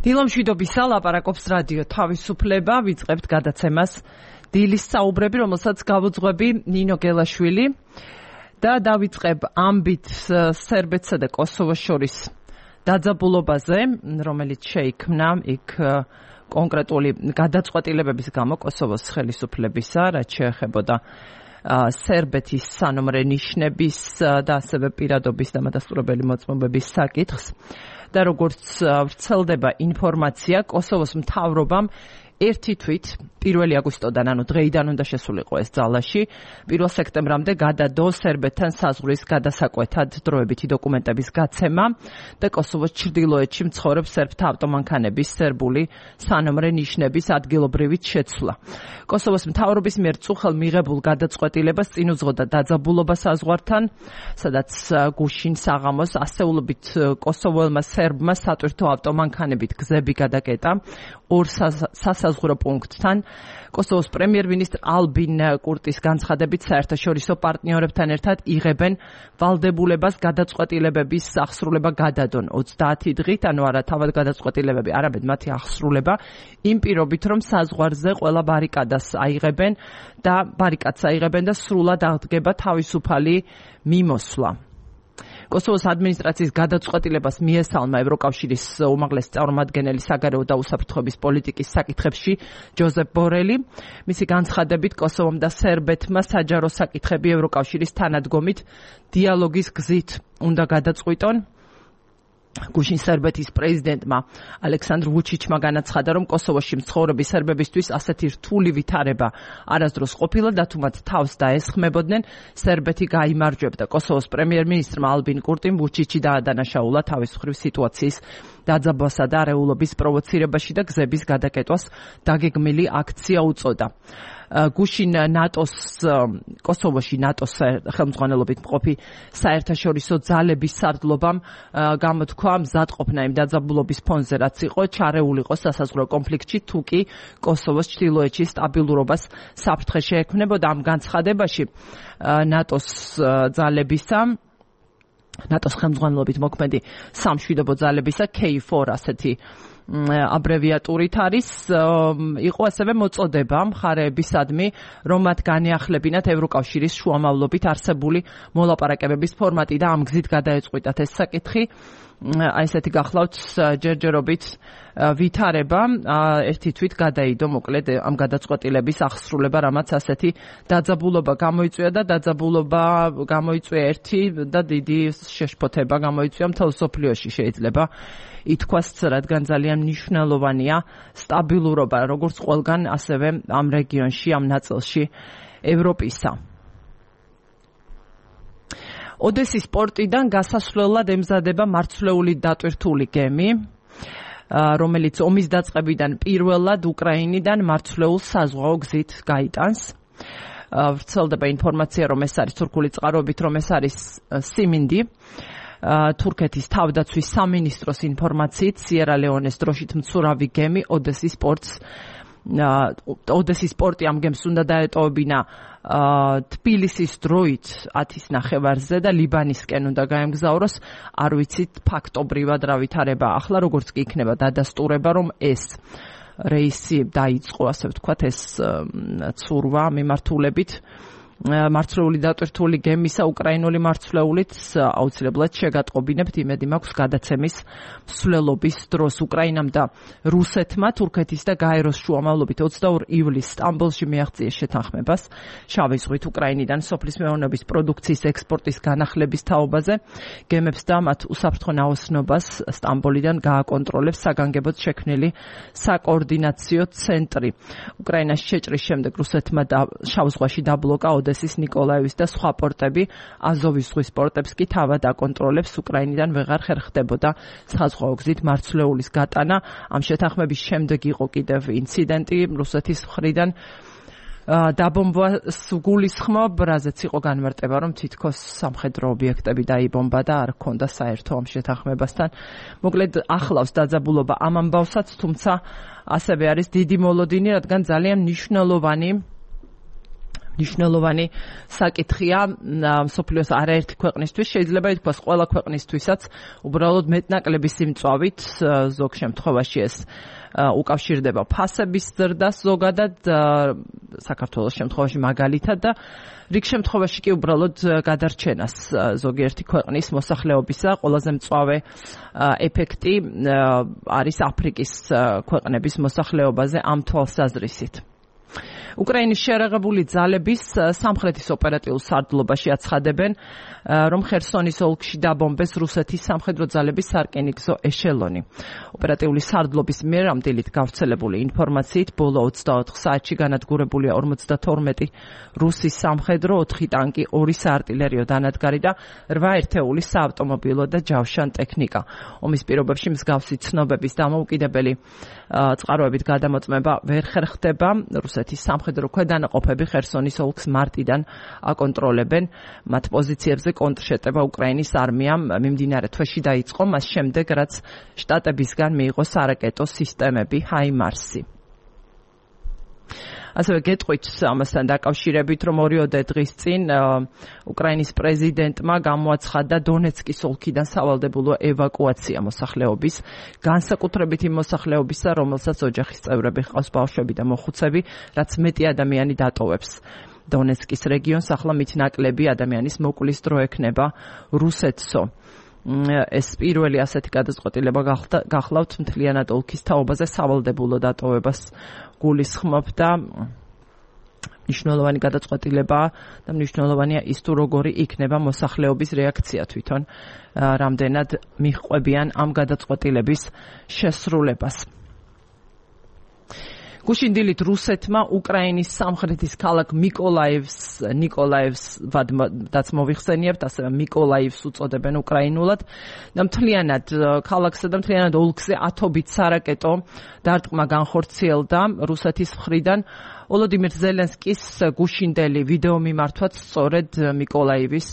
დილომშვიდობისა ლაპარაკობს რადიო თავისუფლება, ვიწყებთ გადაცემას დილის საუბრები, რომელსაც გავუძღვები ნინო გელაშვილი და დავიწყებ ამბით სერბეთსა და კოსოვოს შორის დაძაბულობაზე, რომელიც შეიქმნა იქ კონკრეტული გადაწყვეტილებების გამო კოსოვოს ხელისუფლებისა, რაც შეეხებოდა სერბეთის სანომრე ნიშნების და ასევე პირადობის და მადასტურებელი მოწმობების საკითხს. და როგორც ვრცელდება ინფორმაცია, კოსოვოს მთავრობამ ერთი თვით 1 აგვისტოდან, ანუ დღეიდან უნდა შესულიყო ეს ძალაში, 1 სექტემბრამდე გადადო სერბეთთან საზღვრის გადასაკვეთად დროებითი დოკუმენტების გაცემა და კოსოვოს ჩრდილოეთში მცხოვრებ სერბთა ავტომანქანების სერბული სანომრე ნიშნების ადგილობრივით შეცვლა. კოსოვოს მთავრობის მიერ წუხელ მიღებულ გადაწყვეტილებას წინ უძღოდა დაძაბულობა საზღვართან, სადაც გუშინ საღამოს ასეულობით კოსოველმა სერბმა სატვირთო ავტომანქანებით გზები გადაკეტა ორ სასაზღვრო პუნქტთან. კოსოვოს პრემიერ-მინისტრ ალბინ კურტის განცხადებით საერთაშორისო პარტნიორებთან ერთად იღებენ ვალდებულებას გადაწყვეტილებების აღსრულება გადადონ 30 დღით, ანუ არა თავად გადაწყვეტილებები, არამედ მათი აღსრულება, იმ პირობით, რომ საზღვარზე ყველა ბარიკადს აიღებენ და სრულად აღდგება თავისუფალი მიმოსვლა. კოსოვოს ადმინისტრაციის გადაწყვეტილებას მიესალმა ევროკავშირის უმაღლესი წარმომადგენელი საგარეო და უსაფრთხოების პოლიტიკის საკითხებში ჯოზეფ ბორელი. მისი განცხადებით კოსოვომ და სერბეთმა საჯარო საკითხები ევროკავშირის თანადგომით დიალოგის გზით უნდა გადაწყვიტონ. გუშინ სერბეთის პრეზიდენტმა ალექსანდრ ვუჩიჩმა განაცხადა, რომ კოსოვოში მცხოვრები სერბებისთვის ასეთი რთული ვითარება არასდროს ყოფილა და თუ მათ თავს დაესხმებოდნენ, სერბეთი გაიმარჯვებდა. კოსოვოს პრემიერ-მინისტრმა ალბინ კურტიმ ვუჩიჩი დაადანაშაულა თავის მხრივ სიტუაციის დაძაბვასა და არეულობის პროვოცირებაში და გზების გადაკეტვას დაგეგმილი აქცია უწოდა. გუშინ კოსოვოში ნატოს ხელმძღვანელობით მყოფი საერთაშორისო ძალების სარდლობამ გამოთქვა მზადყოფნა იმ დაძაბულობის ფონზე, რაც იყო ჩარეულიყო სასაზღვრო კონფლიქტში, თუ კი კოსოვოს ჩრდილოეთში სტაბილურობას საფრთხე შეექმნებოდა. ამ განცხადებაში ნატოს ძალებისა ნატოს ხელმძღვანელობით მოქმედი სამშვიდობო ძალებისა K4 ასეთი აბრევიატურით არის, იყო ასევე მოწოდება მხარეებისადმი, რომ მათ განეახლებინათ ევროკავშირის შუამავლობით არსებული მოლაპარაკებების ფორმატი და ამ გზით გადაეწყვიტათ ეს საკითხი. ესეთი გახლავთ ჯერჯერობით ვითარება, ერთი თვით გადაიდო მოკლედ ამ გადაწყვეტილების აღსრულება, რამაც ასეთი დაძაბულობა გამოიწვია და დაძაბულობა გამოიწვია ერთი და დიდი შეშფოთება გამოიწვია მთელ მსოფლიოში შეიძლება ითქვას, რადგან ძალიან მნიშვნელოვანია სტაბილურობა, როგორც ყველგან, ასევე ამ რეგიონში, ამ ნაწილში ევროპისა. ოდესის პორტიდან გასასვლელად ემზადება მარცვლეული დატვირთული გემი, რომელიც ომის დაწყებიდან პირველად უკრაინიდან მარცვლეულ საზღვაო გზით გაიტანს. ვრცელდება ინფორმაცია, რომ ეს არის თურქული წყაროებით, რომ ეს არის სიმინდი. თურქეთის თავდაცვის სამინისტროს ინფორმაციით სიერა ლეონეს დროშით მცურავი გემი ოდესის პორტი ამ გემს უნდა დაეტოვებინა თბილისის დროით 10-ის ნახევარზე და ლიბანისკენ უნდა გაემგზავროს. არ ვიცით ფაქტობრივად რა ვითარება ახლა, როგორც კი იქნება დადასტურება, რომ ეს რეისი დაიწყო, ასე ვთქვათ, ეს ცურვა მიმართულებით მარცვლეული დატვირთული გემისა უკრაინული მარცვლეულით აუცილებლად შეგატყობინებთ, იმედი მაქვს გადაცემის მსვლელობის დროს. უკრაინამ და რუსეთმა თურქეთის და გაეროს შუამავლობით 22 ივლისს სტამბოლში მიაღწიეს შეთანხმებას შავი ზღვით უკრაინიდან სოფლის მეურნეობის პროდუქციის ექსპორტის განახლების თაობაზე. გემებს და მათ უსაფრთხო ნაოსნობას სტამბოლიდან გააკონტროლებს საგანგებოდ შექმნილი საკოორდინაციო ცენტრი. უკრაინაში შეჭრის შემდეგ რუსეთმა შავ ზღვაში დაბლოკა ოდესის, ნიკოლაევის და სხვა პორტები, აზოვის ზღვის პორტებს კი თავად აკონტროლებს. უკრაინიდან ვეღარ ხერხდებოდა საზღვაო გზით მარცვლეულის გატანა. ამ შეთანხმების შემდეგ იყო კიდევ ინციდენტი რუსეთის მხრიდან დაბომბვას გულისხმობ, რაზეც იყო განმარტება, რომ თითქოს სამხედრო ობიექტები დაიბომბა და არ ჰქონდა საერთო ამ შეთანხმებასთან. მოკლედ ახლავს დაძაბულობა ამ ამბავსაც, თუმცა ასევე არის დიდი მოლოდინი, რადგან ძალიან მნიშვნელოვანი მნიშვნელოვანი საკითხია მსოფლიოს არაერთი ქვეყნისთვის, შეიძლება ითქვას ყველა ქვეყნისთვისაც, უბრალოდ მეტნაკლები სიმწვავით ზოგ შემთხვევაში ეს უკავშირდება ფასების ზრდას ზოგადად საქართველოს შემთხვევაში მაგალითად და რიგ შემთხვევაში კი უბრალოდ გადარჩენას ზოგიერთი ქვეყნის მოსახლეობისა ყველაზე მწვავე ეფექტი არის აფრიკის ქვეყნების მოსახლეობაზე ამ თვალსაზრისით. უკრაინის შერეღებული ძალების სამხრეთის ოპერატიულ სარდლობაში აცხადებენ, რომ ხერსონის ოლქში დაბომბეს რუსეთის სამხედრო ძალების სარკინიგზო ეშელონი. ოპერატიული სარდლობის მიერ ამ დილით გავრცელებული ინფორმაციით ბოლო 24 საათში განადგურებულია 52 რუსის სამხედრო, 4 ტანკი, 2 საარტილერიო დანადგარი და 8 ერთეული საავტომობილო და ჯავშან ტექნიკა. ომის პირობებში მსგავსი ცნობების დამოუკიდებელი წყაროებით გადამოწმება ვერ ხერხდება. რუსეთის სამხედრო ქვედანაყოფები ხერსონის ოლქს მარტიდან აკონტროლებენ. მათ პოზიციებზე კონტრშეტევა უკრაინის არმიამ მიმდინარე თვეში დაიწყო, მას შემდეგ რაც შტატებისგან მიიღო სარაკეტო სისტემები ჰაიმარსი. ასევე გეტყვით ამასთან დაკავშირებით, რომ 2 დღის წინ უკრაინის პრეზიდენტმა გამოაცხადა დონეცკის ოლქიდან სავალდებულო ევაკუაცია მოსახლეობის, განსაკუთრებით იმ მოსახლეობისა, რომელსაც ოჯახის წევრები ჰყავს ბავშვები და მოხუცები, რაც მეტი ადამიანი დატოვებს. დონეცკის რეგიონს ახლა მით ნაკლები ადამიანის მოკვლის დრო ექნება რუსეთსო. ეს პირველი ასეთი გადაწყვეტილება გახლავთ მთლიანად ოლქის თაობაზე სავალდებულო დატოვებას გულისხმობდა. მნიშვნელოვანი გადაწყვეტილება და მნიშვნელოვანია ის თუ როგორი იქნება მოსახლეობის რეაქცია თვითონ, რამდენად მიჰყვებიან ამ გადაწყვეტილების შესრულებას. გუშინ დილით რუსეთმა უკრაინის სამხრეთის ქალაქ ნიკოლაევს მოვიხსენიებთ, ასევე მიკოლაივს უწოდებენ უკრაინულად და მთლიანად ქალაქსა და მთლიანად ოლქზე ათობით სარაკეტო დარტყმა განხორციელდა რუსეთის მხრიდან. ვოლოდიმირ ზელენსკის გუშინდელი ვიდეო მიმართვაც სწორედ მიკოლაივის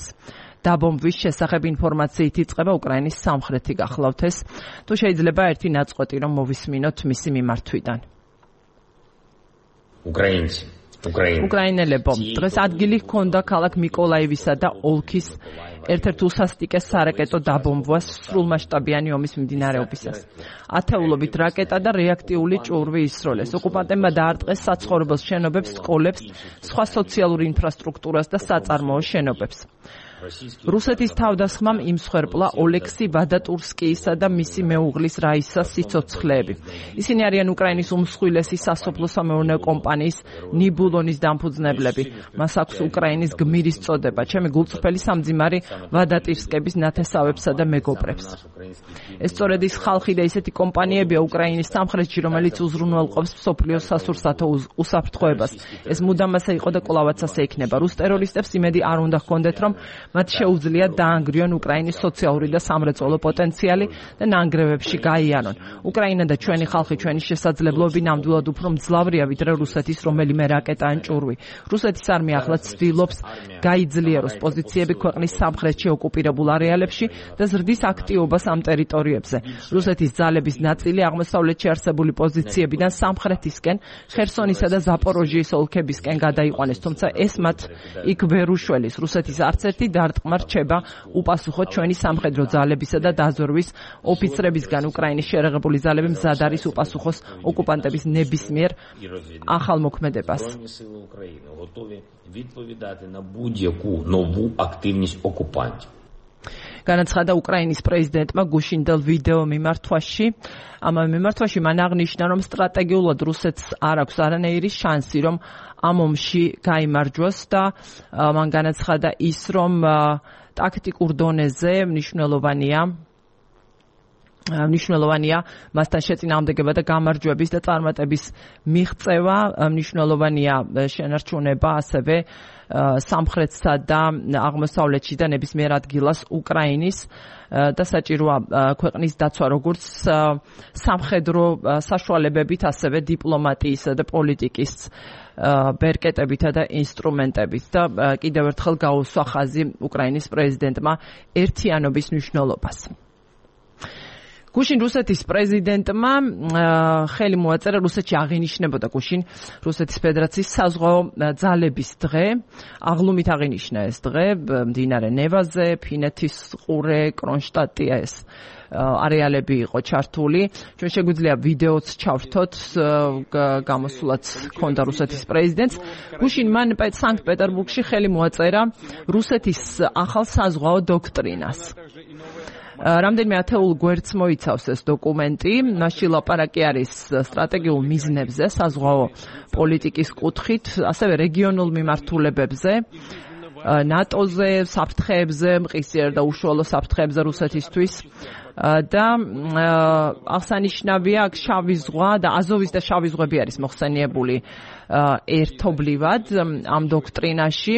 დაბომბვის შესახებ ინფორმაციით იწყება უკრაინის სამხრეთი გახლავთ ეს. თუ შეიძლება ერთი ნაწყვეტი რომ მოვისმინოთ მისი მიმართვიდან. უკრაინელებო, დღეს ადგილი ჰქონდა ქალაქ მიკოლაივისა და ოლქის ერთ-ერთ უსასტიკეს სარაკეტო დაბომბვას სრულმასშტაბიანი ომის მიმდინარეობისას. ათეულობით რაკეტა და რეაქტიული ჭურვი ისროლეს. ოკუპანტებმა დაარტყეს საცხოვრებელ შენობებს, სკოლებს, სხვა სოციალური ინფრასტრუქტურას და საწარმოო შენობებს. რუსეთის თავდასხმამ იმსხვერპლა ოლექსი ვადატურსკიისა და მისი მეუღლის რაისას სიცოცხლეები. ისინი არიან უკრაინის უმსხვილესი სასოფლო-სამეურნეო კომპანიის ნიბულონის დამფუძნებლები. მას აქვს უკრაინის გმირის წოდება. ჩემი გულწრფელი სამძიმარი ვადატირსკების ნათესავებსა და მეგობრებს. ეს სწორედ ის ხალხი და ისეთი კომპანიებია უკრაინის სამხრეთში, რომელიც უზრუნველყოფს მსოფლიოს სასურსათო უსაფრთხოებას. ეს მუდამ ასე იყო და კვლავაც ასე იქნება. რუს ტერორისტებს იმედი არ უნდა ჰქონდეთ, რომ მათ შეუძლიათ დაანგრიონ უკრაინის სოციალური და სამრეწველო პოტენციალი და ნანგრევებში გაიარონ. უკრაინა და ჩვენი ხალხი, ჩვენი შესაძლებლობები ნამდვილად უფრო მძლავრია ვიდრე რუსეთის რომელიმე რაკეტა ან ჭურვი. რუსეთის არმია ახლა ცდილობს გაიძლიეროს პოზიციები ქვეყნის სამხრეთში ოკუპირებულ არეალებში და ზრდის აქტიობას ამ ტერიტორიებზე. რუსეთის ძალების ნაწილი აღმოსავლეთში არსებული პოზიციებიდან სამხრეთისკენ, ხერსონისა და ზაპოროჟიის ოლქებისკენ გადაიყვანეს, თუმცა ეს მათ იქ ვერ უშველის. რუსეთის არც ერთი დარტყმა რჩება უპასუხოდ ჩვენი სამხედრო ძალებისა და დაზვერვის ოფიცრებისგან. უკრაინის შერეღებული ძალები მზად არის უპასუხოს ოკუპანტების ნებისმიერ ახალმოქმედებას. განაცხადა უკრაინის პრეზიდენტმა გუშინდელ ვიდეო მიმართვაში. ამ მიმართვაში მან აღნიშნა, რომ სტრატეგიულად რუსეთს არ აქვს არანაირი შანსი, რომ ამ ომში გაიმარჯვოს და მან განაცხადა ის, რომ ტაქტიკურ დონეზე მნიშვნელოვანია მასთან შეწინააღმდეგება და გამარჯვების და წარმატების მიღწევა, მნიშვნელოვანია შენარჩუნება ასევე სამხრეთსა და აღმოსავლეთში და ნებისმიერ ადგილას უკრაინის და საჭიროა ქვეყნის დაცვა როგორც სამხედრო საშუალებებით, ასევე დიპლომატიისა და პოლიტიკის ბერკეტებითა და ინსტრუმენტებით და კიდევ ერთხელ გაუსვა ხაზი უკრაინის პრეზიდენტმა ერთიანობის მნიშვნელობას. გუშინ რუსეთის პრეზიდენტმა ხელი მოაწერა რუსეთში აღინიშნებოდა გუშინ რუსეთის ფედერაციის საზღვაო ძალების დღე. აღლუმით აღინიშნა ეს დღე მდინარე ნევაზე, ფინეთის ყურე, კრონშტადტია ეს არეალები იყო ჩართული. ჩვენ შეგვიძლია ვიდეოც ჩავრთოთ, გამოსულაც ჰქონდა რუსეთის პრეზიდენტს. გუშინ მან სანქტ-პეტერბურგში ხელი მოაწერა რუსეთის ახალ საზღვაო დოქტრინას. რამდენიმე ათეულ გვერდს მოიცავს ეს დოკუმენტი. მასში ლაპარაკი არის სტრატეგიულ მიზნებზე, საზღვაო პოლიტიკის კუთხით, ასევე რეგიონულ მიმართულებებზე, ნატოზე, საფრთხეებზე, მყისიერ და უშუალო საფრთხეებზე რუსეთისთვის. და აღსანიშნავია აქ შავი ზღვა და აზოვის და შავი ზღვები არის მოხსენიებული ერთობლივად ამ დოქტრინაში.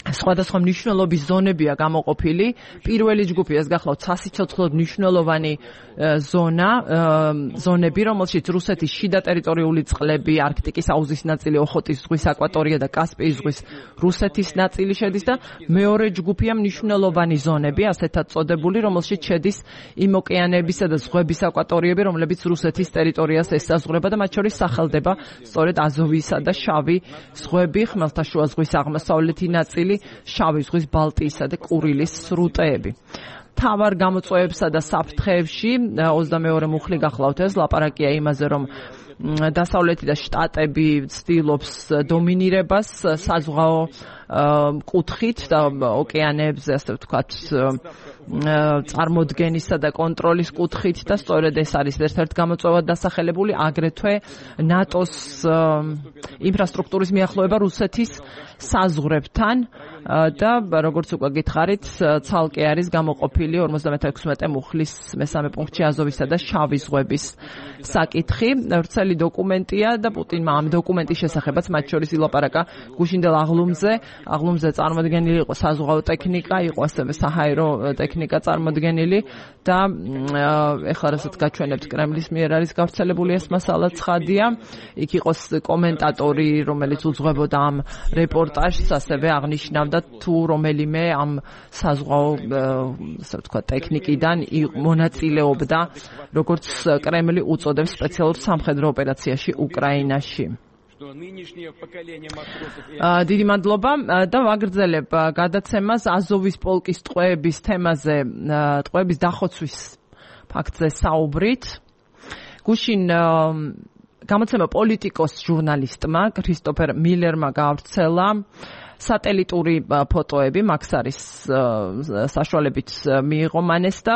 სხვადასხვა მნიშვნელობის ზონებია გამოყოფილი. პირველი ჯგუფი ეს გახლავთ სასიცოცხლოდ მნიშვნელოვანი ზონები, რომელშიც რუსეთის შიდა ტერიტორიული წყლები, არქტიკის აუზის ნაწილი, ოხოტის ზღვის აკვატორია და კასპიის ზღვის რუსეთის ნაწილი შედის და მეორე ჯგუფია მნიშვნელოვანი ზონები, ასეთად წოდებული, რომელშიც შედის იმ ოკეანეებისა და ზღვების აკვატორიები, რომლებიც რუსეთის ტერიტორიას ესაზღვრება და მათ შორის სახელდება სწორედ აზოვისა და შავი ზღვები, ხმელთაშუა ზღვის აღმოსავლეთი ნაწილი, შავი ზღვის ბალტიისა და კურილის სრუტეები. თავარ გამოწვევებსა და საფრთხეებში 22 მუხლი გახლავთ ეს ლაპარაკია იმაზე, რომ დასავლეთი და შტატები ცდილობს დომინირებას საზღვაო კუთხით და ოკეანეებზე, ასე ვთქვათ, წარმოდგენისა და კონტროლის კუთხით და სწორედ ეს არის ერთ-ერთ გამოწვევად დასახელებული, აგრეთვე ნატოს ინფრასტრუქტურის მიახლოება რუსეთის საზღვრებთან და როგორც უკვე გითხარით, ცალკე არის გამოყოფილი 56 მუხლის მესამე პუნქტში აზოვისა და შავი ზღვების საკითხი. ვრცელი დოკუმენტია და პუტინმა ამ დოკუმენტის შესახებაც მათ შორის ილაპარაკა გუშინდელ აღლუმზე წარმოდგენილი იყო საზღვაო ტექნიკა, იყო ასევე საჰაერო ტექნიკა წარმოდგენილი და ეხლა რასაც გაჩვენებთ კრემლის მიერ არის გავრცელებული ეს მასალა ცხადია. იქ იყო კომენტატორი, რომელიც უძღვებოდა ამ რეპორტაჟს, ასევე აღნიშნავდა თუ რომელიმე ამ საზღვაო ასე ვთქვათ ტექნიკიდან მონაწილეობდა, როგორც კრემლი უწოდებს სპეციალურ სამხედრო ოპერაციაში უკრაინაში. დიდი მადლობა და ვაგრძელებ გადაცემას აზოვის პოლკის ტყვეების თემაზე, ტყვეების დახოცვის ფაქტზე საუბრით. გუშინ გამოცემა პოლიტიკოს ჟურნალისტმა ქრისტოფერ მილერმა გაავრცელა სატელიტური ფოტოები, მაქსარის საშუალებით მიიღო მან ეს და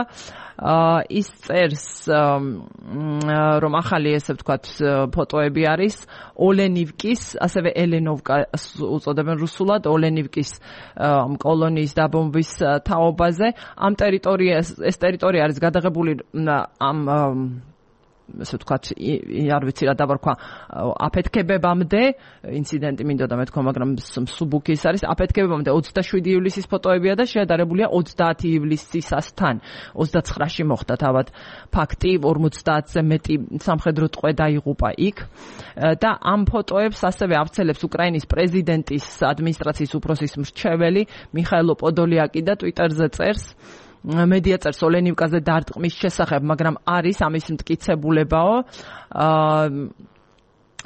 ის წერს, რომ ახალი ესე ვთქვათ ფოტოები არის ოლენივკის, ასევე ელენოვკას უწოდებენ რუსულად, ოლენივკის კოლონიის დაბომბვის თაობაზე. ეს ტერიტორია არის გადაღებული ამ ასე ვთქვათ, არ ვიცი რა დავარქვა, აფეთქებებამდე, ინციდენტი მინდოდა მეთქვა, მაგრამ მსუბუქი ის არის, აფეთქებებამდე 27 ივლისის ფოტოებია და შეადარებულია 30 ივლისისასთან. 29-ში მოხდა თავად ფაქტი, 50-ზე მეტი სამხედრო ტყვე დაიღუპა იქ და ამ ფოტოებს ასევე ავრცელებს უკრაინის პრეზიდენტის ადმინისტრაციის უფროსის მრჩეველი მიხაილო პოდოლიაკი და ტვიტერზე წერს, მედია წერს ოლენივკაზე დარტყმის შესახებ, მაგრამ არის ამის მტკიცებულებაო.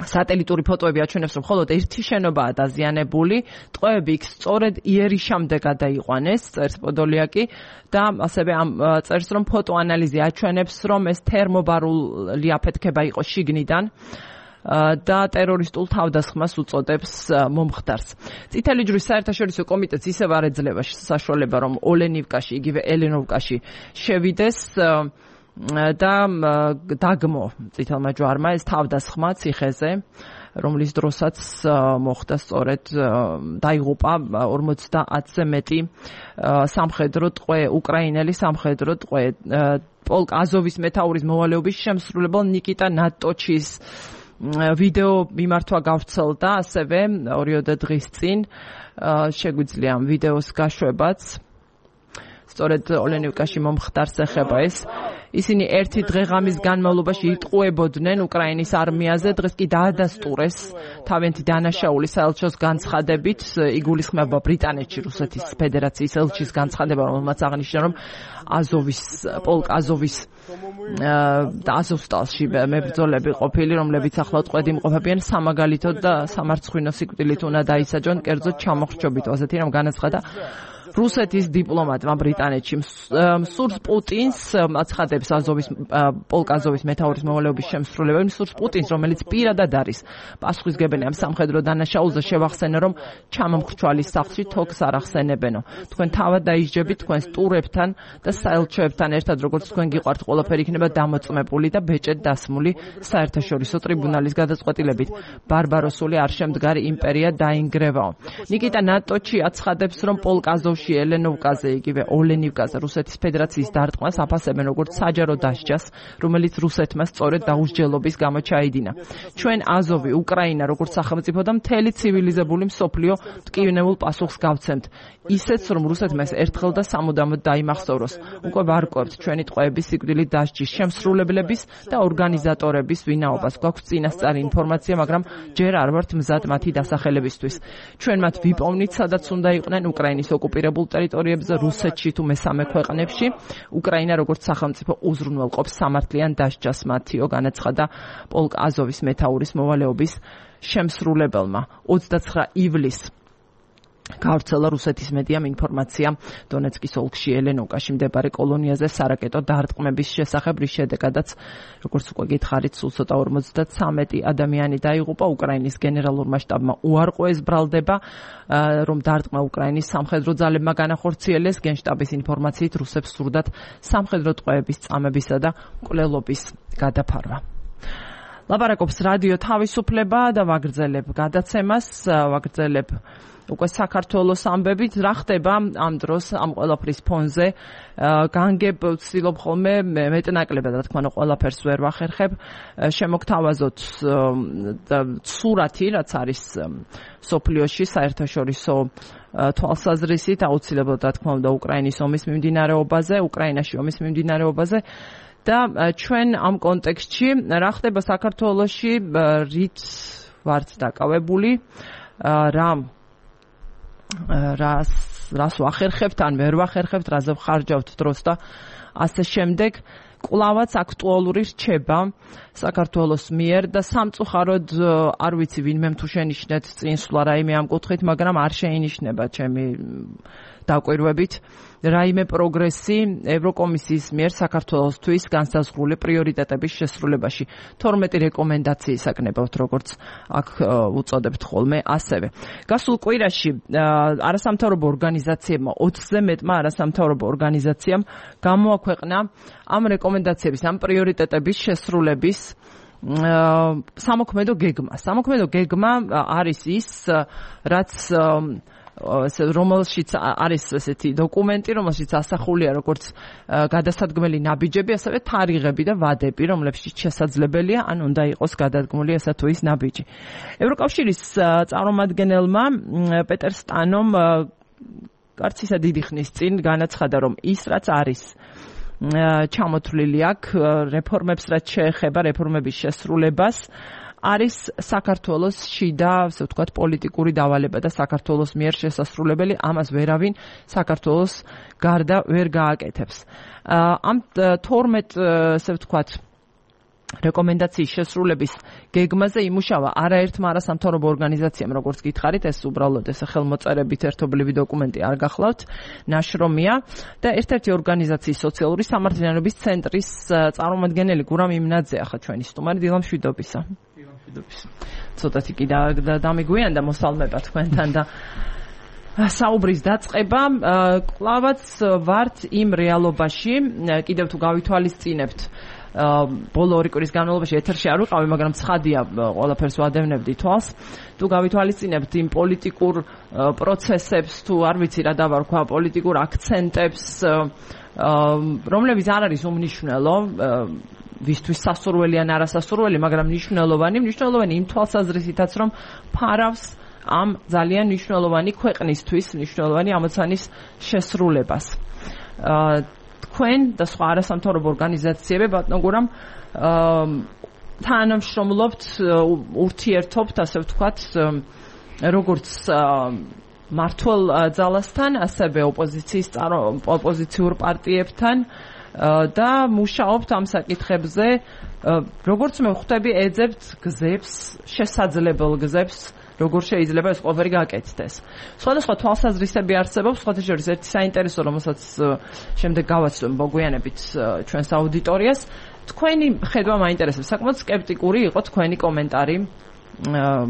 სატელიტური ფოტოები აჩვენებს, რომ მხოლოდ ერთი შენობაა დაზიანებული, ტყვეები იქ სწორედ იერიშამდე გადაიყვანეს, წერს პოდოლიაკი და ასევე წერს, რომ ფოტოანალიზი აჩვენებს, რომ ეს თერმობარული აფეთქება იყო შიგნიდან და ტერორისტულ თავდასხმას უწოდებს მომხდარს. წითელი ჯვრის საერთაშორისო კომიტეტს ისევ არ ეძლევა საშუალება, რომ ოლენივკაში, იგივე ელენოვკაში შევიდეს და დაგმო წითელმა ჯვარმა ეს თავდასხმა ციხეზე, რომლის დროსაც მოხდა სწორედ დაიღუპა 50-ზე მეტი სამხედრო ტყვე, უკრაინელი სამხედრო ტყვე. პოლკ აზოვის მეთაურის მოვალეობის შემსრულებელ ნიკიტა ნატოჩის ვიდეო მიმართვა გავრცელდა ასევე 2 დღის წინ. შეგვიძლია ამ ვიდეოს გაშვებაც. სწორედ ოლენივკაში მომხდარს ეხება ეს. ისინი ერთი დღეღამის განმავლობაში იტყუებოდნენ უკრაინის არმიაზე, დღეს კი დაადასტურეს თავიანთი დანაშაული საელჩოს განცხადებით, იგულისხმება ბრიტანეთში რუსეთის ფედერაციის ელჩის განცხადება, რომელმაც აღნიშნა, რომ პოლკ აზოვის და აზოვსტალში მებრძოლები ყოფილი, რომლებიც ახლა წყვეტი იმყოფებიან სამაგალითოდ და სამარცხვინო სიკვდილით უნდა დაისაჯონ, კერძოდ ჩამოხრჩობით, ასეთი რომ განაცხადა რუსეთის დიპლომატმა ბრიტანეთში. სურს პუტინს აცხადებს პოლკ აზოვის მეთაურის მოვალეობის შემსრულებელი, სურს პუტინს, რომელიც პირადად არის პასუხისმგებელი ამ სამხედრო დანაშაულზე, შევახსენე, რომ ჩამომხრჩვალის სახლში თოქს არ ახსენებენო. თქვენ თავად დაისჯებით თქვენს ტურებთან და საელჩოებთან ერთად, როგორც თქვენ გიყვართ, ყველაფერი იქნება დამოწმებული და ბეჭედ დასმული საერთაშორისო ტრიბუნალის გადაწყვეტილებით. ბარბაროსული არ შემდგარი იმპერია დაინგრევაო. ნიკიტა ნატოჩი აცხადებს, რომ პოლკ აზოვში ელენოვკაზე, იგივე ოლენივკაზე რუსეთის ფედერაციის დარტყმას აფასებენ როგორც საჯარო დასჯას, რომელიც რუსეთმა სწორედ დაუსჯელობის გამო ჩაიდინა. ჩვენ აზოვი, უკრაინა, როგორც სახელმწიფო და მთელი ცივილიზებული მსოფლიო ტკივნეულ პასუხს გავცემთ. ისეც, რომ რუსეთმა ეს ერთხელ და სამუდამოდ დაიმახსოვროს. უკვე ვარკვევთ ჩვენი ტყვეების სიკვდილით დასჯის შემსრულებლების და ორგანიზატორების ვინაობას. გვაქვს წინასწარი ინფორმაცია, მაგრამ ჯერ არ ვართ მზად მათი დასახელებისთვის. ჩვენ მათ ვიპოვნით, სადაც უნდა იყვნენ უკრაინის ოკუპირებულ ტერიტორიებზე, რუსეთში თუ მესამე ქვეყნებში. უკრაინა როგორც სახელმწიფო უზრუნველყოფს სამართლიან დასჯას მათიო, განაცხადა პოლკ აზოვის მეთაურის მოვალეობის შემსრულებელმა. 29 ივლისს გავრცელა რუსეთის მედიამ ინფორმაცია დონეცკის ოლქში ელენოვკაში მდებარე კოლონიაზე სარაკეტო დარტყმების შესახებ, რის შედეგადაც, როგორც უკვე გითხარით, სულ ცოტა 53 ადამიანი დაიღუპა. უკრაინის გენერალურმა შტაბმა უარყვეს ბრალდება, რომ დარტყმა უკრაინის სამხედრო ძალებმა განახორციელეს. გენშტაბის ინფორმაციით რუსებს სურდათ სამხედრო ტყვეების წამებისა და მკვლელობის გადაფარვა. ლაპარაკობს რადიო თავისუფლება და ვაგრძელებ გადაცემას, ვაგრძელებ უკვე საქართველოს ამბებით. რა ხდება ამ დროს ამ ყველაფრის ფონზე? განგებ ვცდილობ ხოლმე მეტნაკლებად, რა თქმა უნდა, ყველაფერს ვერ ვახერხებ. შემოგთავაზოთ სურათი, რაც არის სოფლიოში საერთაშორისო თვალსაზრისით, აუცილებლად, რა თქმა უნდა, უკრაინის ომის მიმდინარეობაზე, უკრაინაში ომის მიმდინარეობაზე. და ჩვენ ამ კონტექსტში რა ხდება საქართველოში, რით ვართ დაკავებული, რას ვახერხებთ, ან ვერ ვახერხებთ, რაზე ვხარჯავთ დროს და ასე შემდეგ. კვლავაც აქტუალური რჩება საქართველოს მიერ და სამწუხაროდ არ ვიცი ვინმე თუ შენიშნეთ წინსვლა რაიმე ამ კუთხით, მაგრამ არ შეინიშნება ჩემი დაკვირვებით რაიმე პროგრესი ევროკომისიის მიერ საქართველოსთვის განსაზღვრული პრიორიტეტების შესრულებაში. 12 რეკომენდაციის აკნებავთ, როგორც აქ უწოდებთ ხოლმე ასევე. გასულ კვირაში არასამთავრობო ორგანიზაციებმა 20-ზე მეტმა არასამთავრობო ორგანიზაციამ გამოაქვეყნა ამ რეკომენდაციების, ამ პრიორიტეტების შესრულების სამოქმედო გეგმა. სამოქმედო გეგმა არის ის, რაც რომელშიც არის ესეთი დოკუმენტი, რომელშიც ასახულია როგორც გადასადგმელი ნაბიჯები, ასევე თარიღები და ვადები, რომლებშიც შესაძლებელია ან უნდა იყოს გადადგმული ესა თუ ის ნაბიჯი. ევროკავშირის წარმომადგენელმა პეტერ სტანომ არც ისა დიდი ხნის წინ განაცხადა, რომ ის რაც არის ჩამოთვლილი აქ რეფორმებს, რაც შეეხება რეფორმების შესრულებას, არის საქართველოს შიდა, ასე ვთქვათ, პოლიტიკური დავალება და საქართველოს მიერ შესასრულებელი, ამას ვერავინ საქართველოს გარდა ვერ გააკეთებს. ამ 12, ასე ვთქვათ, რეკომენდაციის შესრულების გეგმაზე იმუშავა არაერთმა არასამთავრობო ორგანიზაციამ, როგორც გითხარით, ეს უბრალოდ ეს ხელმოწერებით ერთობლივი დოკუმენტი არ გახლავთ, ნაშრომია და ერთ-ერთი ორგანიზაციის სოციალური სამართლიანობის ცენტრის წარმომადგენელი გურამ იმნაძე ახლა ჩვენი სტუმარი, დილამშვიდობისა. ცოტათი კი დამიგვიანდა მოსალმება თქვენთან და საუბრის დაწყება. კლავაც ვართ იმ რეალობაში, კიდევ თუ გავითვალისწინებთ ბოლო 2 კვირის განმავლობაში ეთერში არ ვიყავი, მაგრამ ცხადია, ყველაფერს ვადევნებდი თვალს. თუ გავითვალისწინებთ იმ პოლიტიკურ პროცესებს, თუ არ ვიცი რა დავარქვა, პოლიტიკურ აქცენტებს, რომლებიც არ არის უმნიშვნელო, ვისთვის სასურველი ან არასასურველი, მაგრამ მნიშვნელოვანი იმ თვალსაზრისითაც, რომ ფარავს ამ ძალიან მნიშვნელოვანი ქვეყნისთვის, მნიშვნელოვანი ამოცანის შესრულებას. თქვენ და სხვა არასამთავრობო ორგანიზაციები ბატონო გურამ თანამშრომლობთ, ურთიერთობთ, ასე ვთქვათ, როგორც მართლ ძალასთან, ასევე ოპოზიციურ პარტიებთან და მუშაობთ ამ საკითხებზე, როგორც მე ხვდები, ეძებთ გზებს, შესაძლებელ გზებს, როგორ შეიძლება ეს ყველაფერი გაკეთდეს. სხვადასხვა თვალსაზრისები არსებობს, სხვათა შორის ერთი საინტერესო, რომელსაც შემდეგ გავაცნობ მოგვიანებით ჩვენს აუდიტორიას. თქვენი ხედვა მაინტერესებს. საკმაოდ სკეპტიკური იყო თქვენი კომენტარი.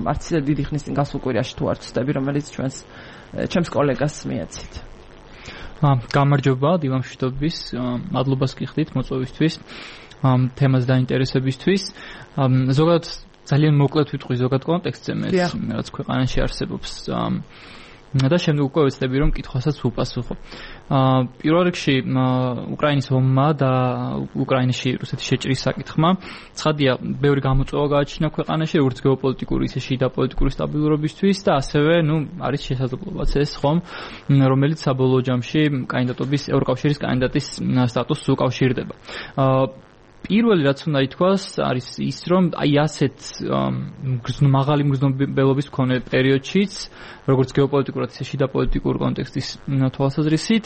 არც დიდი ხნის წინ გასულ კვირაში თუ არ ვცდები, რომელიც ჩემს კოლეგას მიეცით. გამარჯობა დილამშვიდობის, მადლობას გიხდით მოწვევისთვის, თემას დაინტერესებისთვის. ზოგადად ძალიან მოკლედ ვიტყვი ზოგად კონტექსტზე მე რაც ქვეყანაში არსებობს. და შემდეგ უკვე ვეცდები რომ კითხვასაც ვუპასუხო. პირველ რიგში უკრაინის ომმა და უკრაინაში რუსეთის შეჭრის საკითხმა ცხადია ბევრი გამოწვევა გააჩინა ქვეყანაში როგორც გეოპოლიტიკური ისე შიდა პოლიტიკური სტაბილურობისთვის და ასევე არის შესაძლებლობაც ეს ხომ რომელიც საბოლოო ჯამში კანდიდატობის ევროკავშირის კანდიდატის სტატუსს უკავშირდება. პირველი რაც უნდა ითქვას არის ის რომ აი ასეთ მაღალი მგრძნობელობის მქონე პერიოდშიც როგორც გეოპოლიტიკურად ისე შიდა პოლიტიკურ კონტექსტის თვალსაზრისით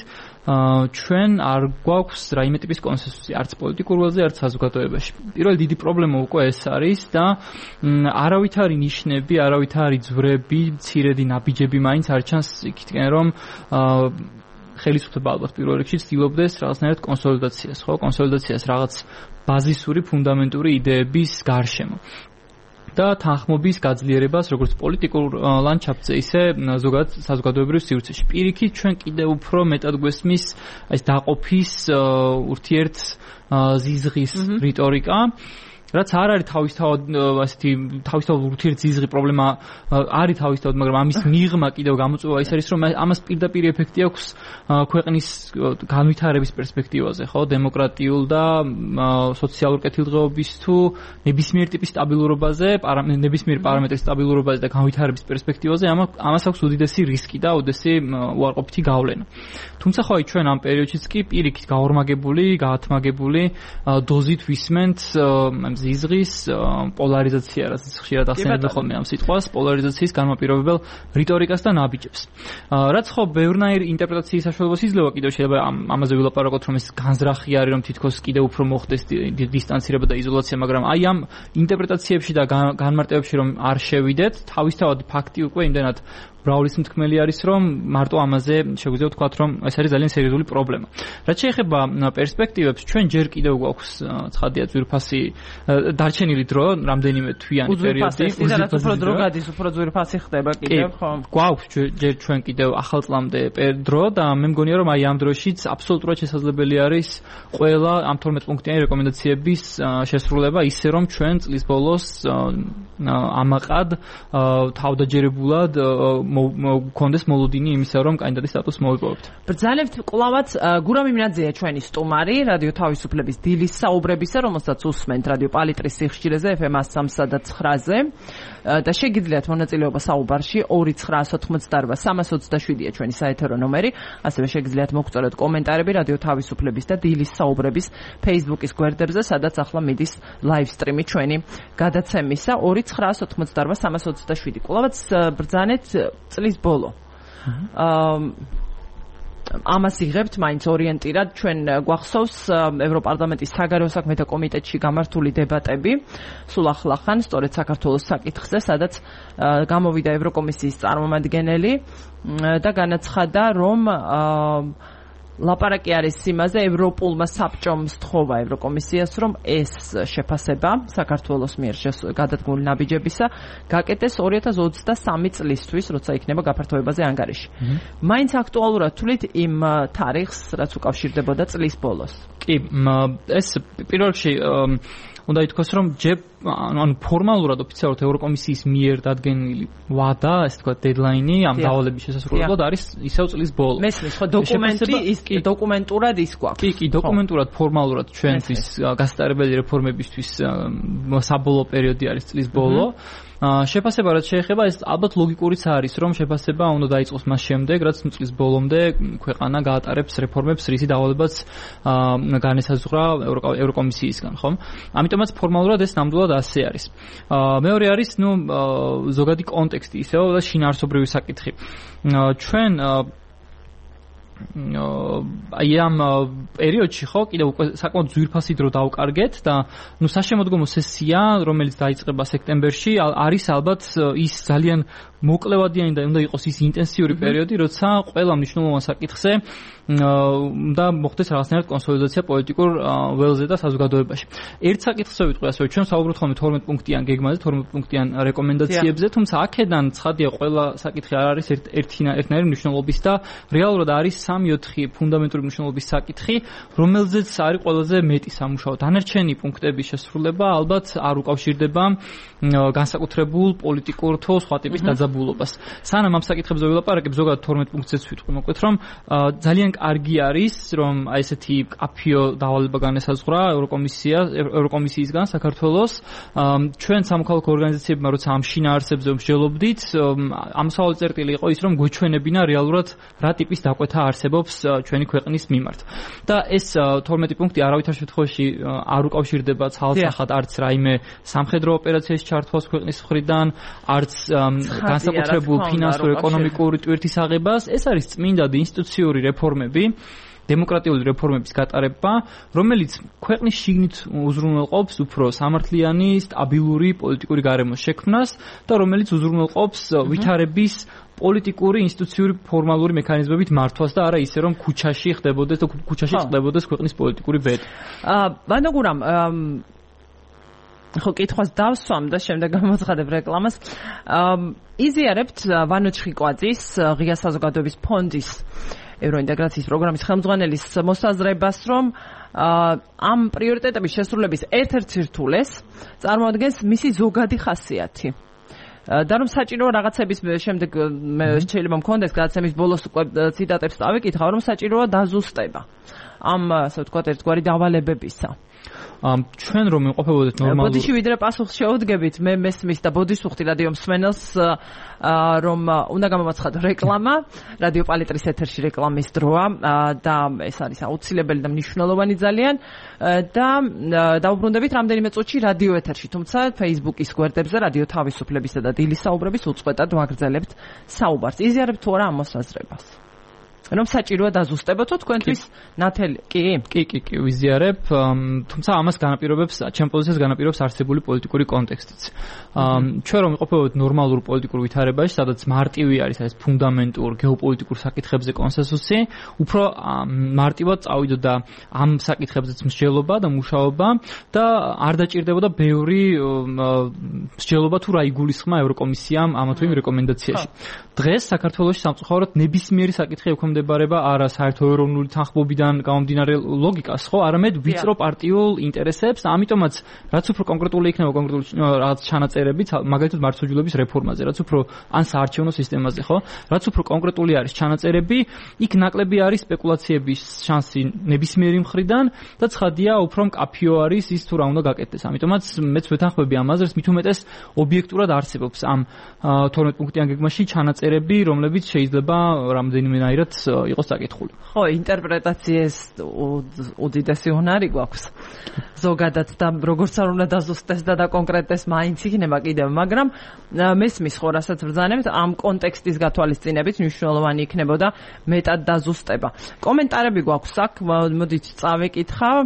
ჩვენ არ გვაქვს რაიმე ტიპის კონსენსუსი არც პოლიტიკურ ველზე არც საზოგადოებაში. პირველი დიდი პრობლემა უკვე ეს არის და არავითარი ნიშნები, არავითარი ძვრები, მცირედი ნაბიჯები მაინც არ ჩანს იქითკენ რომ ხელისუფლება ალბათ პირველ რიგში ცდილობდეს რაღაცნაირად კონსოლიდაციას, ხო? კონსოლიდაციას რაღაც ბაზისური ფუნდამენტური იდეების გარშემო. და თანხმობის გაძლიერებას როგორც პოლიტიკურ ლანდშაფტზე, ისე ზოგადად საზოგადოებრივ სივრცეში. პირიქით ჩვენ კიდევ უფრო მეტად გვესმის ეს დაყოფის ურთიერთ ზიზღის რიტორიკა. რაც არ არის თავისთავად ურთიერთზიზღი პრობლემა არის თავისთავად, მაგრამ ამის მიღმა კიდევ გამოწვევა ის არის, რომ ამას პირდაპირ ეფექტი აქვს ქვეყნის განვითარების პერსპექტივაზე, ხო, დემოკრატიულ და სოციალურ კეთილდღეობის თუ ნებისმიერ ტიპის სტაბილურობაზე, ნებისმიერ პარამეტრის სტაბილურობაზე და განვითარების პერსპექტივაზე ამას აქვს უდიდესი რისკი და უდიდესი უარყოფითი გავლენა. თუმცა ხო აი ჩვენ ამ პერიოდშიც კი პირიქით გაორმაგებული, გაათმაგებული დოზით ვისმენთ ზიზღის პოლარიზაცია, რაც ხშირად ახსენებდა ხოლმე ამ სიტყვას, პოლარიზაციის განმაპირობებელ რიტორიკას და ნაბიჯებს. რაც ხო ბევრნაირ ინტერპრეტაციის საშუალებას იძლევა კიდევ შეიძლება ამაზე ვილაპარაკოთ, რომ ეს განზრახი არის, რომ თითქოს კიდევ უფრო მოხდეს დისტანცირება და იზოლაცია, მაგრამ აი ამ ინტერპრეტაციებში და განმარტებებში რომ არ შევიდეთ, თავისთავად ფაქტი უკვე იმდენად ბრაულის მთქმელი არის, რომ მარტო ამაზე შეგვიძლია ვთქვათ, რომ ეს არის ძალიან სერიოზული პრობლემა. რაც შეეხება პერსპექტივებს, ჩვენ ჯერ კიდევ გვაქვს ცხადია ძვირფასი დარჩენილი დრო, რამდენიმე თვიანი პერიოდი. უფრო დრო გადის, უფრო ძვირფასი ხდება კიდევ, ხო? გვაქვს ჯერ ჩვენ კიდევ ახალ წლამდე დრო და მე მგონია, რომ აი ამ დროშიც აბსოლუტურად შესაძლებელი არის ყველა ამ 12 პუნქტიანი რეკომენდაციების შესრულება, ისე რომ ჩვენ წლის ბოლოს ამაყად თავდაჯერებულად მქონდეს მოლოდინი იმისა, რომ კანდიდატის სტატუსს მოვიპოვებთ. ბრძანებთ კლავაც გურამ იმნაძეა ჩვენი სტუმარი რადიო თავისუფლების დილის საუბრებისა, რომელსაც უსმენთ რადიო პალიტრის სიხშირეზე FM 103.9-ზე და შეგიძლიათ მონაწილეობა საუბარში 2988327-ია ჩვენი საეთერო ნომერი, ასევე შეგიძლიათ მოგწოდოთ კომენტარები რადიო თავისუფლების და დილის საუბრების Facebook-ის გვერდებზე, სადაც ახლა მიდის live stream-ი ჩვენი გადაცემისა 2988327. კლავაც ბრძანეთ წლის ბოლო. ამას იღებთ მაინც ორიენტირად ჩვენ გვახსოვს ევროპარლამენტის საგარეო საქმეთა კომიტეტში გამართული დებატები სულ ახლახან სწორედ საქართველოს საკითხზე, სადაც გამოვიდა ევროკომისიის წარმომადგენელი და განაცხადა, რომ ლაპარაკი არის იმაზე, ევროპულმა საბჭომ სთხოვა ევროკომისიას, რომ ეს შეფასება საქართველოს მიერ გადადგმული ნაბიჯებისა გაკეთდეს 2023 წლისთვის, როცა იქნება გაფართოებაზე ანგარიში. მაინც აქტუალურად თვლით იმ თარიღს, რაც უკავშირდებოდა წლის ბოლოს. კი, ეს პირველ რიგში უნდა ითქვას, რომ ანუ ფორმალურად ოფიციალურად ევროკომისიის მიერ დადგენილი ვადა, ასე თქვა დედლაინი ამ დავალების შესასრულებლად არის ისევ წლის ბოლო. მესმის, ხო, დოკუმენტი ის კი დოკუმენტურად ის გვაქვს. კი, დოკუმენტურად ფორმალურად ჩვენთვის გასტარებელი რეფორმებისთვის საბოლოო პერიოდი არის წლის ბოლო. შეფასება რაც შეეხება ეს ალბათ ლოგიკურიც არის რომ შეფასება უნდა დაიწყოს მას შემდეგ რაც წლის ბოლომდე ქვეყანა გაატარებს რეფორმებს რისი დავალებაც განესაზღვრა ევროკომისიისგან ხომ ამიტომაც ფორმალურად ეს ნამდვილად ასე არის მეორე არის ზოგადი კონტექსტი ისევ და შინაარსობრივი საკითხი ჩვენ აი ამ პერიოდში ხო კიდევ უკვე საკმაოდ ძვირფასი დრო დავკარგეთ და საშემოდგომო სესია რომელიც დაიწყება სექტემბერში არის ალბათ ის ძალიან მოკლევადიანი და უნდა იყოს ის ინტენსიური პერიოდი როცა ყველა მნიშვნელოვან საკითხზე და მოხდეს რაღაცნაირად კონსოლიდაცია პოლიტიკურ ველზე და საზოგადოებაში. ერთ საკითხზე ვიტყვი ასევე ჩვენ საუბრობთ ხოლმე 12 პუნქტიან გეგმაზე, 12 პუნქტიან რეკომენდაციებზე, თუმცა აქედან ცხადია ყველა საკითხი არ არის ერთნაირი მნიშვნელობის და რეალურად არის 3-4 ფუნდამენტური მნიშვნელობის საკითხი, რომელზეც არის ყველაზე მეტი სამუშაო. დანარჩენი პუნქტების შესრულება ალბათ არ უკავშირდება განსაკუთრებულ პოლიტიკურ თუ სხვა ტიპის დაძაბულობას. სანამ ამ საკითხებზე ვილაპარაკებ, ზოგადად 12 პუნქტზეც ვიტყვი მოკლედ, რომ ძალიან კარგი არის, რომ აი ესეთი კაფიო დავალება განესაზღვრა ევროკომისიისგან საქართველოს. ჩვენ სამოქალაქო ორგანიზაციებმა როცა ამ შინაარსებზე მსჯელობდით, ამსავალი წერტილი იყო ის, რომ გვეჩვენებინა რეალურად რა ტიპის დაკვეთა არსებობს ჩვენი ქვეყნის მიმართ. და ეს 12 პუნქტი არავითარ შემთხვევაში არ უკავშირდება ცალსახად არც რაიმე სამხედრო ოპერაციის ჩართვას ქვეყნის მხრიდან, არც განსაკუთრებულ ფინანსურ ეკონომიკური ტვირთის აღებას. ეს არის წმინდა ინსტიტუციური რეფორმები, დემოკრატიული რეფორმების გატარება, რომელიც ქვეყნის შიგნით უზრუნველყოფს უფრო სამართლიანი, სტაბილური პოლიტიკური გარემოს შექმნას და რომელიც უზრუნველყოფს ვითარების პოლიტიკური, ინსტიტუციური, ფორმალური მექანიზმებით მართვას და არა ისე რომ ქუჩაში ხდებოდეს და ქუჩაში ხდებოდეს ქვეყნის პოლიტიკური ბედი. ბანდაგურამ ხო კითხვას დავსვამ და შემდეგ გამოცხადებ რეკლამას. იზიარებთ ვანო ჩხიკვაძის ღია საზოგადოების ფონდის ევროინტეგრაციის პროგრამის ხელმძღვანელის მოსაზრებას, რომ ამ პრიორიტეტების შესრულების ერთ-ერთ სირთულეს წარმოადგენს მისი ზოგადი ხასიათი. და რომ საჭირო რაღაცების შემდეგ შეიძლება მქონდეს გადაცემის ბოლოს ციტატებს წავიკითხავ, რომ საჭიროა დაზუსტება ამ ასე ვთქვათ ერთგვარი დავალებებისა. ჩვენ რომ იმყოფებოდეთ ნორმალურად ბოდიში ვიდრე პასუხს შეუდგებით მე მესმის და ბოდიშ ვუხდი რადიო მსმენელს რომ უნდა გამომაცხადო რეკლამა რადიო პალიტრის ეთერში რეკლამის დროა და ეს არის აუცილებელი და მნიშვნელოვანი ძალიან და დავუბრუნდებით რამდენიმე წუთში რადიო ეთერში თუმცა Facebook-ის გვერდებზე რადიო თავისუფლებისა და დილის საუბრების უწყვეტად ვაგრძელებთ საუბარს იზიარებთ თუ არა ამ მოსაზრებას რომ საჭიროა დაზუსტებოთ თქვენთვის ნათელი კი ვიზიარებ თუმცა ამას განაპირობებს ჩემ პოზიციას განაპირობებს არსებული პოლიტიკური კონტექსტიც ჩვენ რომ ვიყოფებოდეთ ნორმალურ პოლიტიკურ ვითარებაში სადაც მარტივი არის ეს ფუნდამენტურ გეოპოლიტიკურ საკითხებზე კონსენსუსი უფრო მარტივად წავიდოდა ამ საკითხებზეც მსჯელობა და მუშაობა და არ დაჭირდებოდა ბევრი მსჯელობა თუ რა იგულისხმა ევროკომისიამ ამა თუ იმ რეკომენდაციაში დღეს საქართველოში სამწუხაროდ ნებისმიერი საკითხი ექვემდებარება არა საერთო ეროვნული თანხმობიდან გამომდინარე ლოგიკას, ხო, არამედ ვიწრო პარტიულ ინტერესებს და ამიტომაც რაც უფრო კონკრეტული იქნება კონკრეტული რაღაც ჩანაწერებიც, მაგალითად მართლმსაჯულების რეფორმაზე, რაც უფრო ან საარჩევნო სისტემაზე, ხო, რაც უფრო კონკრეტული არის ჩანაწერები, იქ ნაკლები არის სპეკულაციების შანსი ნებისმიერი მხრიდან და ცხადია უფრო მკაფიო არის ის თუ რა უნდა გაკეთდეს. ამიტომაც მეც ვეთანხმები ამ აზრს, მით უმეტეს ობიექტურად არსებობს ამ 12 პუნქტიან გეგმაში ჩანაწერები, რომლებიც შეიძლება რამდენიმენაირად იყოს საკითხული. ხო, ინტერპრეტაციის უდიდესი უნარი გვაქვს. ზოგადად და როგორც არ უნდა დაზუსტდეს და დაკონკრეტდეს მაინც იქნება კიდევ, მაგრამ მესმის ხო რასაც ბრძანებთ ამ კონტექსტის გათვალისწინებით მნიშვნელოვანი იქნებოდა მეტად დაზუსტება. კომენტარები გვაქვს აქ, მოდით წავეკითხავ.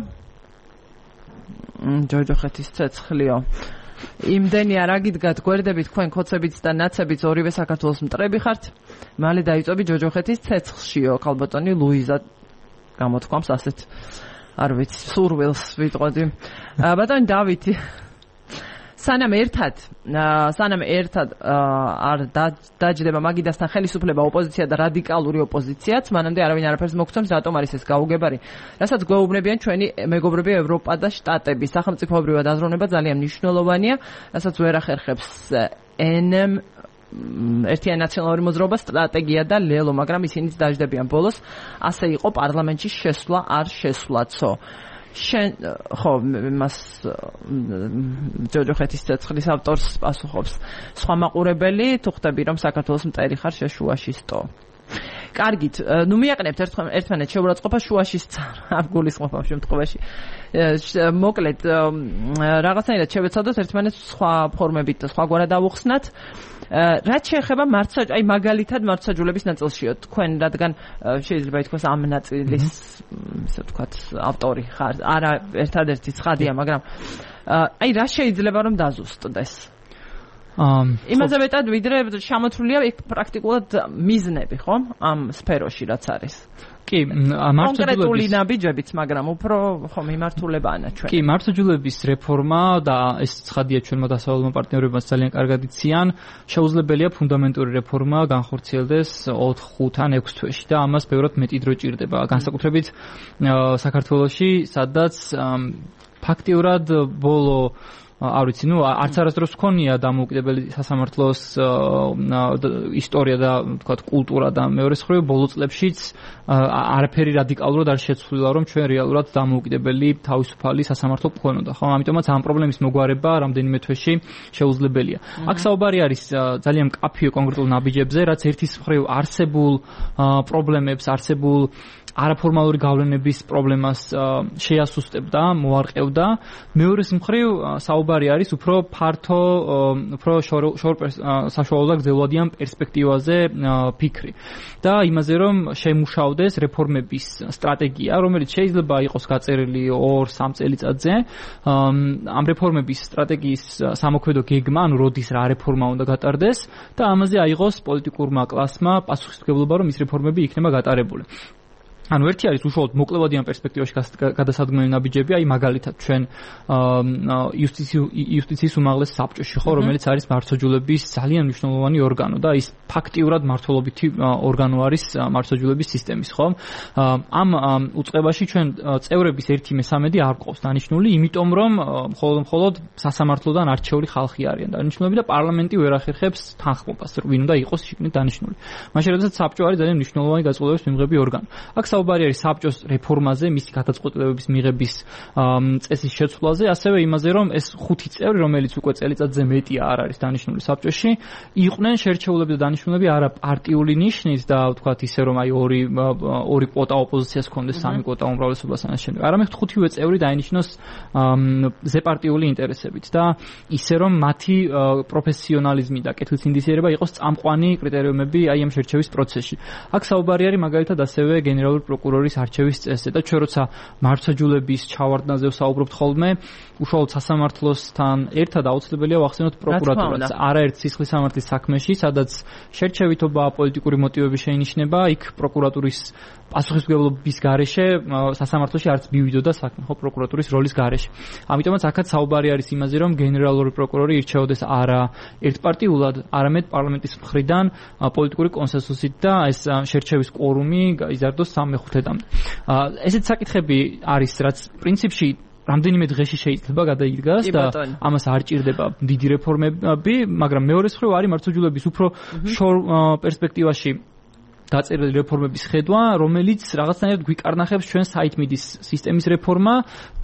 ჯოჯოხეთის ცეცხლიო იმდენი არ აგიდგათ გვერდებით თქვენ ქოცებიც და ნაცებიც ორივე საქართველოს მტრები ხართ მალე დაიწვევი ჯოჯოხეთის ცეცხლშიო ქალბატონი ლუიზა გამოთქვამს ასეთ არ ვიცი სურვილს ვიტყოდი ბატონი დავითი სანამ ერთად არ დაჯდება მაგიდასთან ხელისუფლება ოპოზიცია და რადიკალური ოპოზიციაც მანამდე არავინ არაფერს მოგცემს რატომ არის ეს გაუგებარი რასაც გვეუბნებიან ჩვენი მეგობრები ევროპა და შტატები სახელმწიფოებრივად აზროვნება ძალიან მნიშვნელოვანია რასაც ვერ ახერხებს ერთიანი ნაციონალური მოძრაობა სტრატეგია და ლელო მაგრამ ისინიც დაждდებიან ბოლოს ასე იყო პარლამენტში შესვლა არ შესვლაცო შენ ხო მას ჯოჯოხეთის ცეცხლის ავტორს პასუხობს სხვა მაყურებელი თუ ხვდები რომ საქართველოს მტერი ხარ შუაში სტო კარგით ნუ მიაყენებთ ერთმანეთს შეურაცხყოფა შუაში არ გულისხმობ შემთხვევაში მოკლედ რაღაცნაირად შევეცადოთ ერთმანეთს სხვა ფორმებით და სხვაგვარად ავუხსნათ რაც შეეხება აი მაგალითად მართლმსაჯულების ნაწილშიო თქვენ რადგან შეიძლება ითქვას ამ ნაწილის ისე ვთქვათ ავტორი ხარ არა ერთადერთი ცხადია მაგრამ აი რა შეიძლება რომ დაზუსტდეს იმაზე მეტად ვიდრე შემოთვლილია პრაქტიკულად მიზნები ხო ამ სფეროში რაც არის კი კონკრეტული ნაბიჯებიც მაგრამ უფრო ხო მიმართულებაა ჩვენ კი მართლმსაჯულების რეფორმა და ეს ცხადია ჩვენმა დასავლელმა პარტნიორებმა ძალიან კარგად იციან შეუძლებელია ფუნდამენტური რეფორმა განხორციელდეს 4-5 ან 6 თვეში და ამას ბევრად მეტი დრო ჭირდება განსაკუთრებით საქართველოში სადაც ფაქტიურად ბოლო არ ვიცი, არც არასდროს ჰქონია დამოუკიდებელი სასამართლოს ისტორია და თქვათ კულტურა და მეორე მხრივ ბოლო წლებშიც არაფერი რადიკალურად არ შეცვლილა რომ ჩვენ რეალურად დამოუკიდებელი თავისუფალი სასამართლო გქონოდა, ხო? ამიტომაც ამ პრობლემის მოგვარება რამდენიმე თვეში შეუძლებელია. აქ საუბარი არის ძალიან მკაფიო კონკრეტულ ნაბიჯებზე, რაც ერთის მხრივ არსებულ პრობლემებს, არსებულ არაფორმალური გავლენების პრობლემას შეასუსტებდა, მოარყევდა. მეორეს მხრივ საუბარი არის უფრო ფართო, უფრო საშუალო და გრძელვადიან პერსპექტივაზე ფიქრი. და იმაზე რომ შემუშავდეს რეფორმების სტრატეგია, რომელიც შეიძლება იყოს გაწერილი 2-3 წელიწადზე. ამ რეფორმების სტრატეგიის სამოქმედო გეგმა, ანუ როდის რა რეფორმა უნდა გატარდეს და ამაზე აიღოს პოლიტიკურმა კლასმა პასუხისმგებლობა, რომ ის რეფორმები იქნება გატარებული. ანუ ერთი არის უშუალოდ მოკლევადიან პერსპექტივაში გადასადგმელი ნაბიჯები, აი მაგალითად ჩვენ იუსტიციის უმაღლეს საბჭოში, ხო, რომელიც არის მართლმსაჯულების ძალიან მნიშვნელოვანი ორგანო და ის ფაქტიურად მართლობითი ორგანო არის მართლმსაჯულების სისტემის, ხო? ამ უწყებაში ჩვენ წევრების 1/3 არ გვყავს დანიშნული, იმიტომ რომ მხოლოდ სასამართლოდან არჩეული ხალხი არიან დანიშნულები და პარლამენტი ვერ ახერხებს თანხმობას, ვინ უნდა იყოს შიგნით დანიშნული. მაშინ როდესაც საბჭო არის ძალიან მნიშვნელოვანი გაწყვეტილების მიღები ორგანო. აქ საუბარი არის საბჭოს რეფორმაზე, მისი გადაწყვეტილებების მიღების წესის შეცვლაზე, ასევე იმაზე, რომ ეს 5 წევრი, რომელიც უკვე წელიწადზე მეტია არ არის დანიშნული საბჭოში, იყვნენ შერჩეულები და დანიშნულები არა პარტიული ნიშნით და ვთქვათ ისე, რომ აი ორი კვოტა ოპოზიციას ჰქონდეს, 3 კვოტა უმრავლესობას ან შემდეგ. არამედ 5-ვე წევრი დაინიშნოს ზეპარტიული ინტერესებით და ისე, რომ მათი პროფესიონალიზმი და კეთილსინდისიერება იყოს წამყვანი კრიტერიუმები აი ამ შერჩევის პროცესში. აქ საუბარი არის მაგალითად ასევე გენერალური პროკურორის არჩევის წესზე და ჩვენ როცა მართლმსაჯულების ჩავარდნაზე ვსაუბრობთ ხოლმე, უშუალოდ სასამართლოსთან ერთად აუცილებელია ვახსენოთ პროკურატურას. არაერთ სისხლის სამართლის საქმეში, სადაც შერჩევითობა, პოლიტიკური მოტივები შეინიშნება, იქ პროკურატურის პასუხისმგებლობის გარეშე სასამართლოში არც მივიდოდა საქმე, ხო, პროკურატურის როლის გარეშე. ამიტომაც აქაც საუბარი არის იმაზე, რომ გენერალური პროკურორი ირჩეოდეს არა ერთპარტიულად, არამედ პარლამენტის მხრიდან პოლიტიკური კონსენსუსით და ეს შერჩევის კვორუმი იზარდოს 3/5-მდე. ესეთ საკითხები არის, რაც პრინციპში რამდენიმე დღეში შეიძლება გადაიდგას და ამას არ ჭირდება დიდი რეფორმები, მაგრამ მეორე მხრივ არის მართლმსაჯულების უფრო შორ პერსპექტივაში დაწერილი რეფორმების ხედვა, რომელიც რაღაცნაირად გვიკარნახებს ჩვენ საითმიდის სისტემის რეფორმა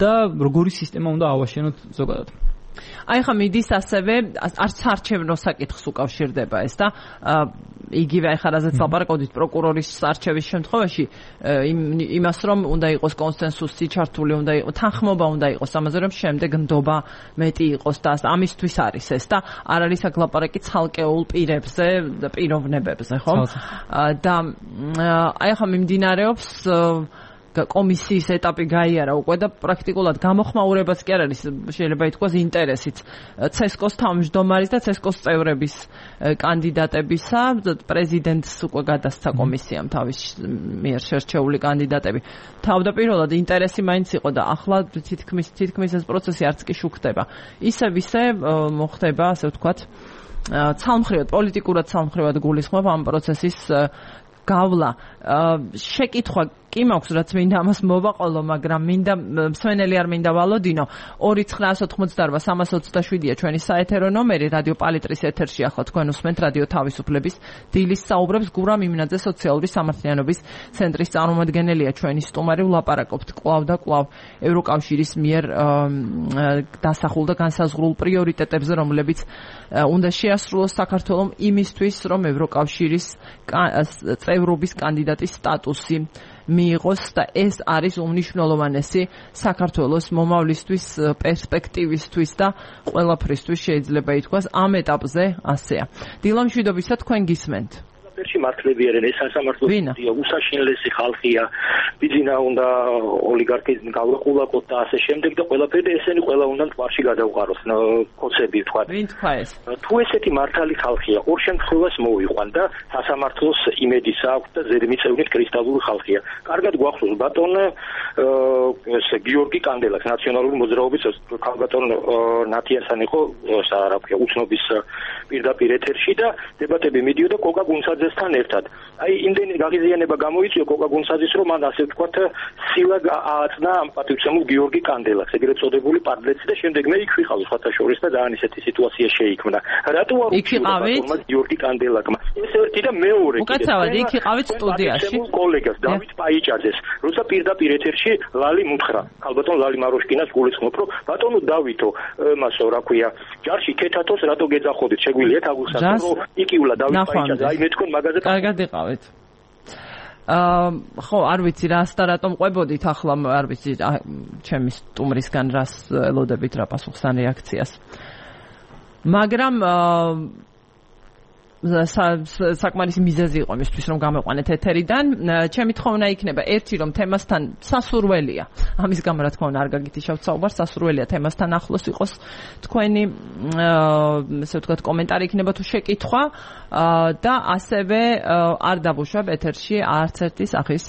და როგორი სისტემა უნდა ავაშენოთ ზოგადად. აი ხა მიდის ასევე არც არჩევნო საკითხს უკავშირდება ეს და იგივე აი ხა რაზეც ლაპარაკობდით პროკურორის არჩევის შემთხვევაში იმას რომ უნდა იყოს კონსენსუსი ჩართული, უნდა იყოს თანხმობა, უნდა იყოს ამაზე რომ შემდეგ ნდობა მეტი იყოს და ამისთვის არის ეს და არ არის აქ ლაპარაკი ცალკეულ პირებზე და პიროვნებებზე, ხო? და აი ხა მიმდინარეობს კომისიის ეტაპი გაიარა უკვე და პრაქტიკულად გამოხმაურებაც კი არ არის, შეიძლება ითქვას ინტერესიც ცესკოს თავმჯდომარის და ცესკოს წევრების კანდიდატებისა, პრეზიდენტს უკვე გადასცა კომისიამ თავის მიერ შერჩეული კანდიდატები. თავდაპირველად ინტერესი მაინც იყო და ახლა თითქმის ეს პროცესი არც კი შუქდება. ისევ მოხდება, ასე ვთქვათ, ცალმხრივად, პოლიტიკურად ცალმხრივად გულისხმობ ამ პროცესის გავლა. შეკითხვა კი მაქვს რაც მინდა ამას მოვაყოლო, მაგრამ მინდა მსვენელი არ მინდა ვალოდინო. 2988327-ია ჩვენი საეთერო ნომერი, რადიო პალიტრის ეთერში ახლა თქვენ უსმენთ რადიო თავისუფლების დილის საუბრებს. გურამ იმინაძე სოციალური სამართლიანობის ცენტრის წარმომადგენელია ჩვენი სტუმარი. ვლაპარაკობთ კვლავ და კვლავ ევროკავშირის მიერ დასახულ და განსაზღვრულ პრიორიტეტებზე, რომლებიც უნდა შეასრულოს საქართველოს იმისთვის, რომ ევროკავშირის წევრობის კანდიდატის სტატუსი მიიღოს და ეს არის უმნიშვნელოვანესი საქართველოს მომავლისთვის, პერსპექტივისთვის და ყველაფრისთვის შეიძლება ითქვას ამ ეტაპზე ასეა. დილა მშვიდობისა, თქვენ გისმენთ. პერში მართლები არიან, ეს სასამართლოა, უსაშინლესი ხალხია, ბიძინა უნდა ოლიგარქის გავყულაკოთ და ასე შემდეგ და ყველაფერი ესენი ყველა უნდა თვარში გადავყაროს, კოცები თქვა. ვინ თქვა ეს? თუ ესეთი მართალი ხალხია, ორ შემთხვევას მოვიყვან და სასამართლოს იმედის აქვს და ზედმიწევნით კრისტალური ხალხია. კარგად გვახსოვს ბატონ გიორგი კანდელაკს, ნაციონალური მოძრაობის ქალბატონ ნათიასთან იყო უცნობის პირდაპირ ეთერში და დებატები მიდიოდა კოკა გუნცაძესთან ერთად. აი იმდენი გაღიზიანება გამოიწვია კოკა გუნცაძის, რომ მან ასე ვთქვათ სილა ააწნა ამ პატივცემულ გიორგი კანდელაკს, ეგრეთ წოდებული პარლეცი და შემდეგ მე იქ ვიყავ სხვათა შორის და ძალიან ისეთი სიტუაცია შეიქმნა. რატო არ უჩვენა გიორგი კანდელაკმა? ეს ერთი და მეორე. უკაცრავად იქ იყავით სტუდიაში. კოლეგას დავით პაიჭაძეს, როცა პირდაპირ ეთერში ლალი მუთხრა, ქალბატონ ლალი მაროშკინას გულისხმობ, რომ ბატონო დავითო, მასო რა ქვია, ჯარში ქეთათოს რატო გეძახოდით, შეგვიძლია თაგულსაც, რომ იკივლა დავით პაიჭაძე, აი მე თქვენ მაგაზე კარგად იყავით. ხო, არ ვიცი რას და რატომ ყვებოდით ახლა, არ ვიცი ჩემი სტუმრისგან რას ელოდებით რა პასუხს ან რეაქციას. მაგრამ საკმარისი მიზეზი იყო მისთვის რომ გამეყვანეთ ეთერიდან. ჩემი თხოვნა იქნება ერთი, რომ თემასთან სასურველია. ამის გამო რა თქმა უნდა არ გაგითიშავთ საუბარს, სასურველია თემასთან ახლოს იყოს თქვენი ესე ვთქვათ კომენტარი იქნება თუ შეკითხვა და ასევე არ დაბუშვებ ეთერში არც ერთი სახის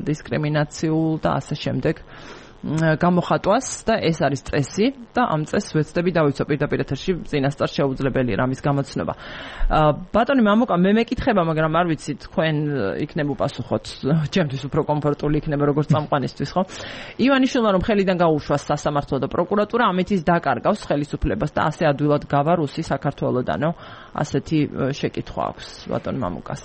დისკრიმინაციულ და ასე შემდეგ გამოხატვას და ეს არის წესი და ამ წესს ვეცდები დავიცვა პირდაპირ ეთერში წინასწარ შეუძლებელია რამის გამოცნობა. ბატონი მამუკა, მე მეკითხება, მაგრამ არ ვიცი თქვენ იქნებ უპასუხოთ, ჩემთვის უფრო კომფორტული იქნება როგორც წამყვანისთვის, ხო? ივანიშვილმა რომ ხელიდან გაუშვას სასამართლო და პროკურატურა, ამით ის დაკარგავს ხელისუფლებას და ასე ადვილად გავა რუსი საქართველოდანო. ასეთი შეკითხვა აქვს ბატონ მამუკას.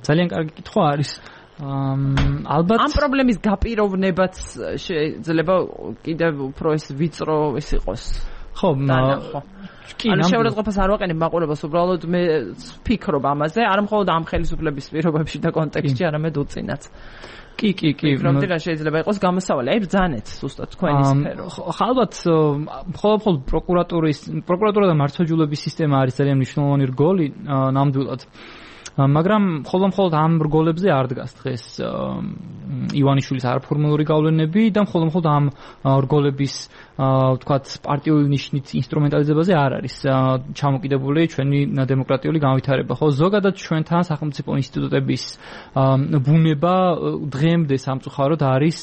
ძალიან კარგი კითხვა არის. ალბათ ამ პრობლემის გაპიროვნებაც შეიძლება კიდევ უფრო ეს ვიწრო ის იყოს. ხო, კი, ანუ შეურაცხყოფას არ ვაყენებ მაყურებელს, უბრალოდ მე ვფიქრობ ამაზე, არა მხოლოდ ამ ხელისუფლების პირობებში და კონტექსტში, არამედ უწინაც. კი. ვფიქრობდი რა შეიძლება იყოს გამოსავალი, აი ბრძანეთ ზუსტად თქვენი სფერო. ალბათ მხოლოდ პროკურატურა და მართლმსაჯულების სისტემა არის ძალიან მნიშვნელოვანი რგოლი ნამდვილად. მაგრამ მხოლოდ ამ რგოლებზე არ დგას დღეს ივანიშვილის არაფორმალური გავლენები და მხოლოდ ამ რგოლების ვთქვათ პარტიული ნიშნით ინსტრუმენტალიზებაზე არ არის ჩამოკიდებული ჩვენი დემოკრატიული განვითარება. ხო, ზოგადად ჩვენთან სახელმწიფო ინსტიტუტების ბუნება დღემდე სამწუხაროდ არის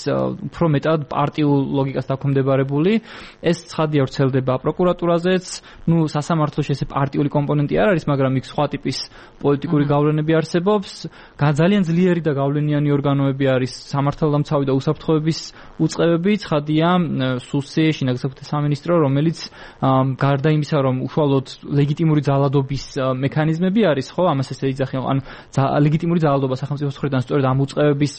უფრო მეტად პარტიულ ლოგიკას დაქვემდებარებული. ეს ცხადია ვრცელდება პროკურატურაზეც, სასამართლოში ესე პარტიული კომპონენტი არ არის, მაგრამ იქ სხვა ტიპის პოლიტიკური გავლენები არსებობს. ძალიან ძლიერი და გავლენიანი ორგანოები არის სამართალდამცავი და უსაფრთხოების უწყებები, ცხადია სუსი, შინაგანსაკუთრებთა სამინისტრო, რომელიც გარდა იმისა, რომ უშუალოდ ლეგიტიმური ძალადობის მექანიზმები არის, ხო, ამას ესე იძახიან, ანუ ლეგიტიმური ძალადობა სახელმწიფოს მხრიდან სწორედ ამ უწყებების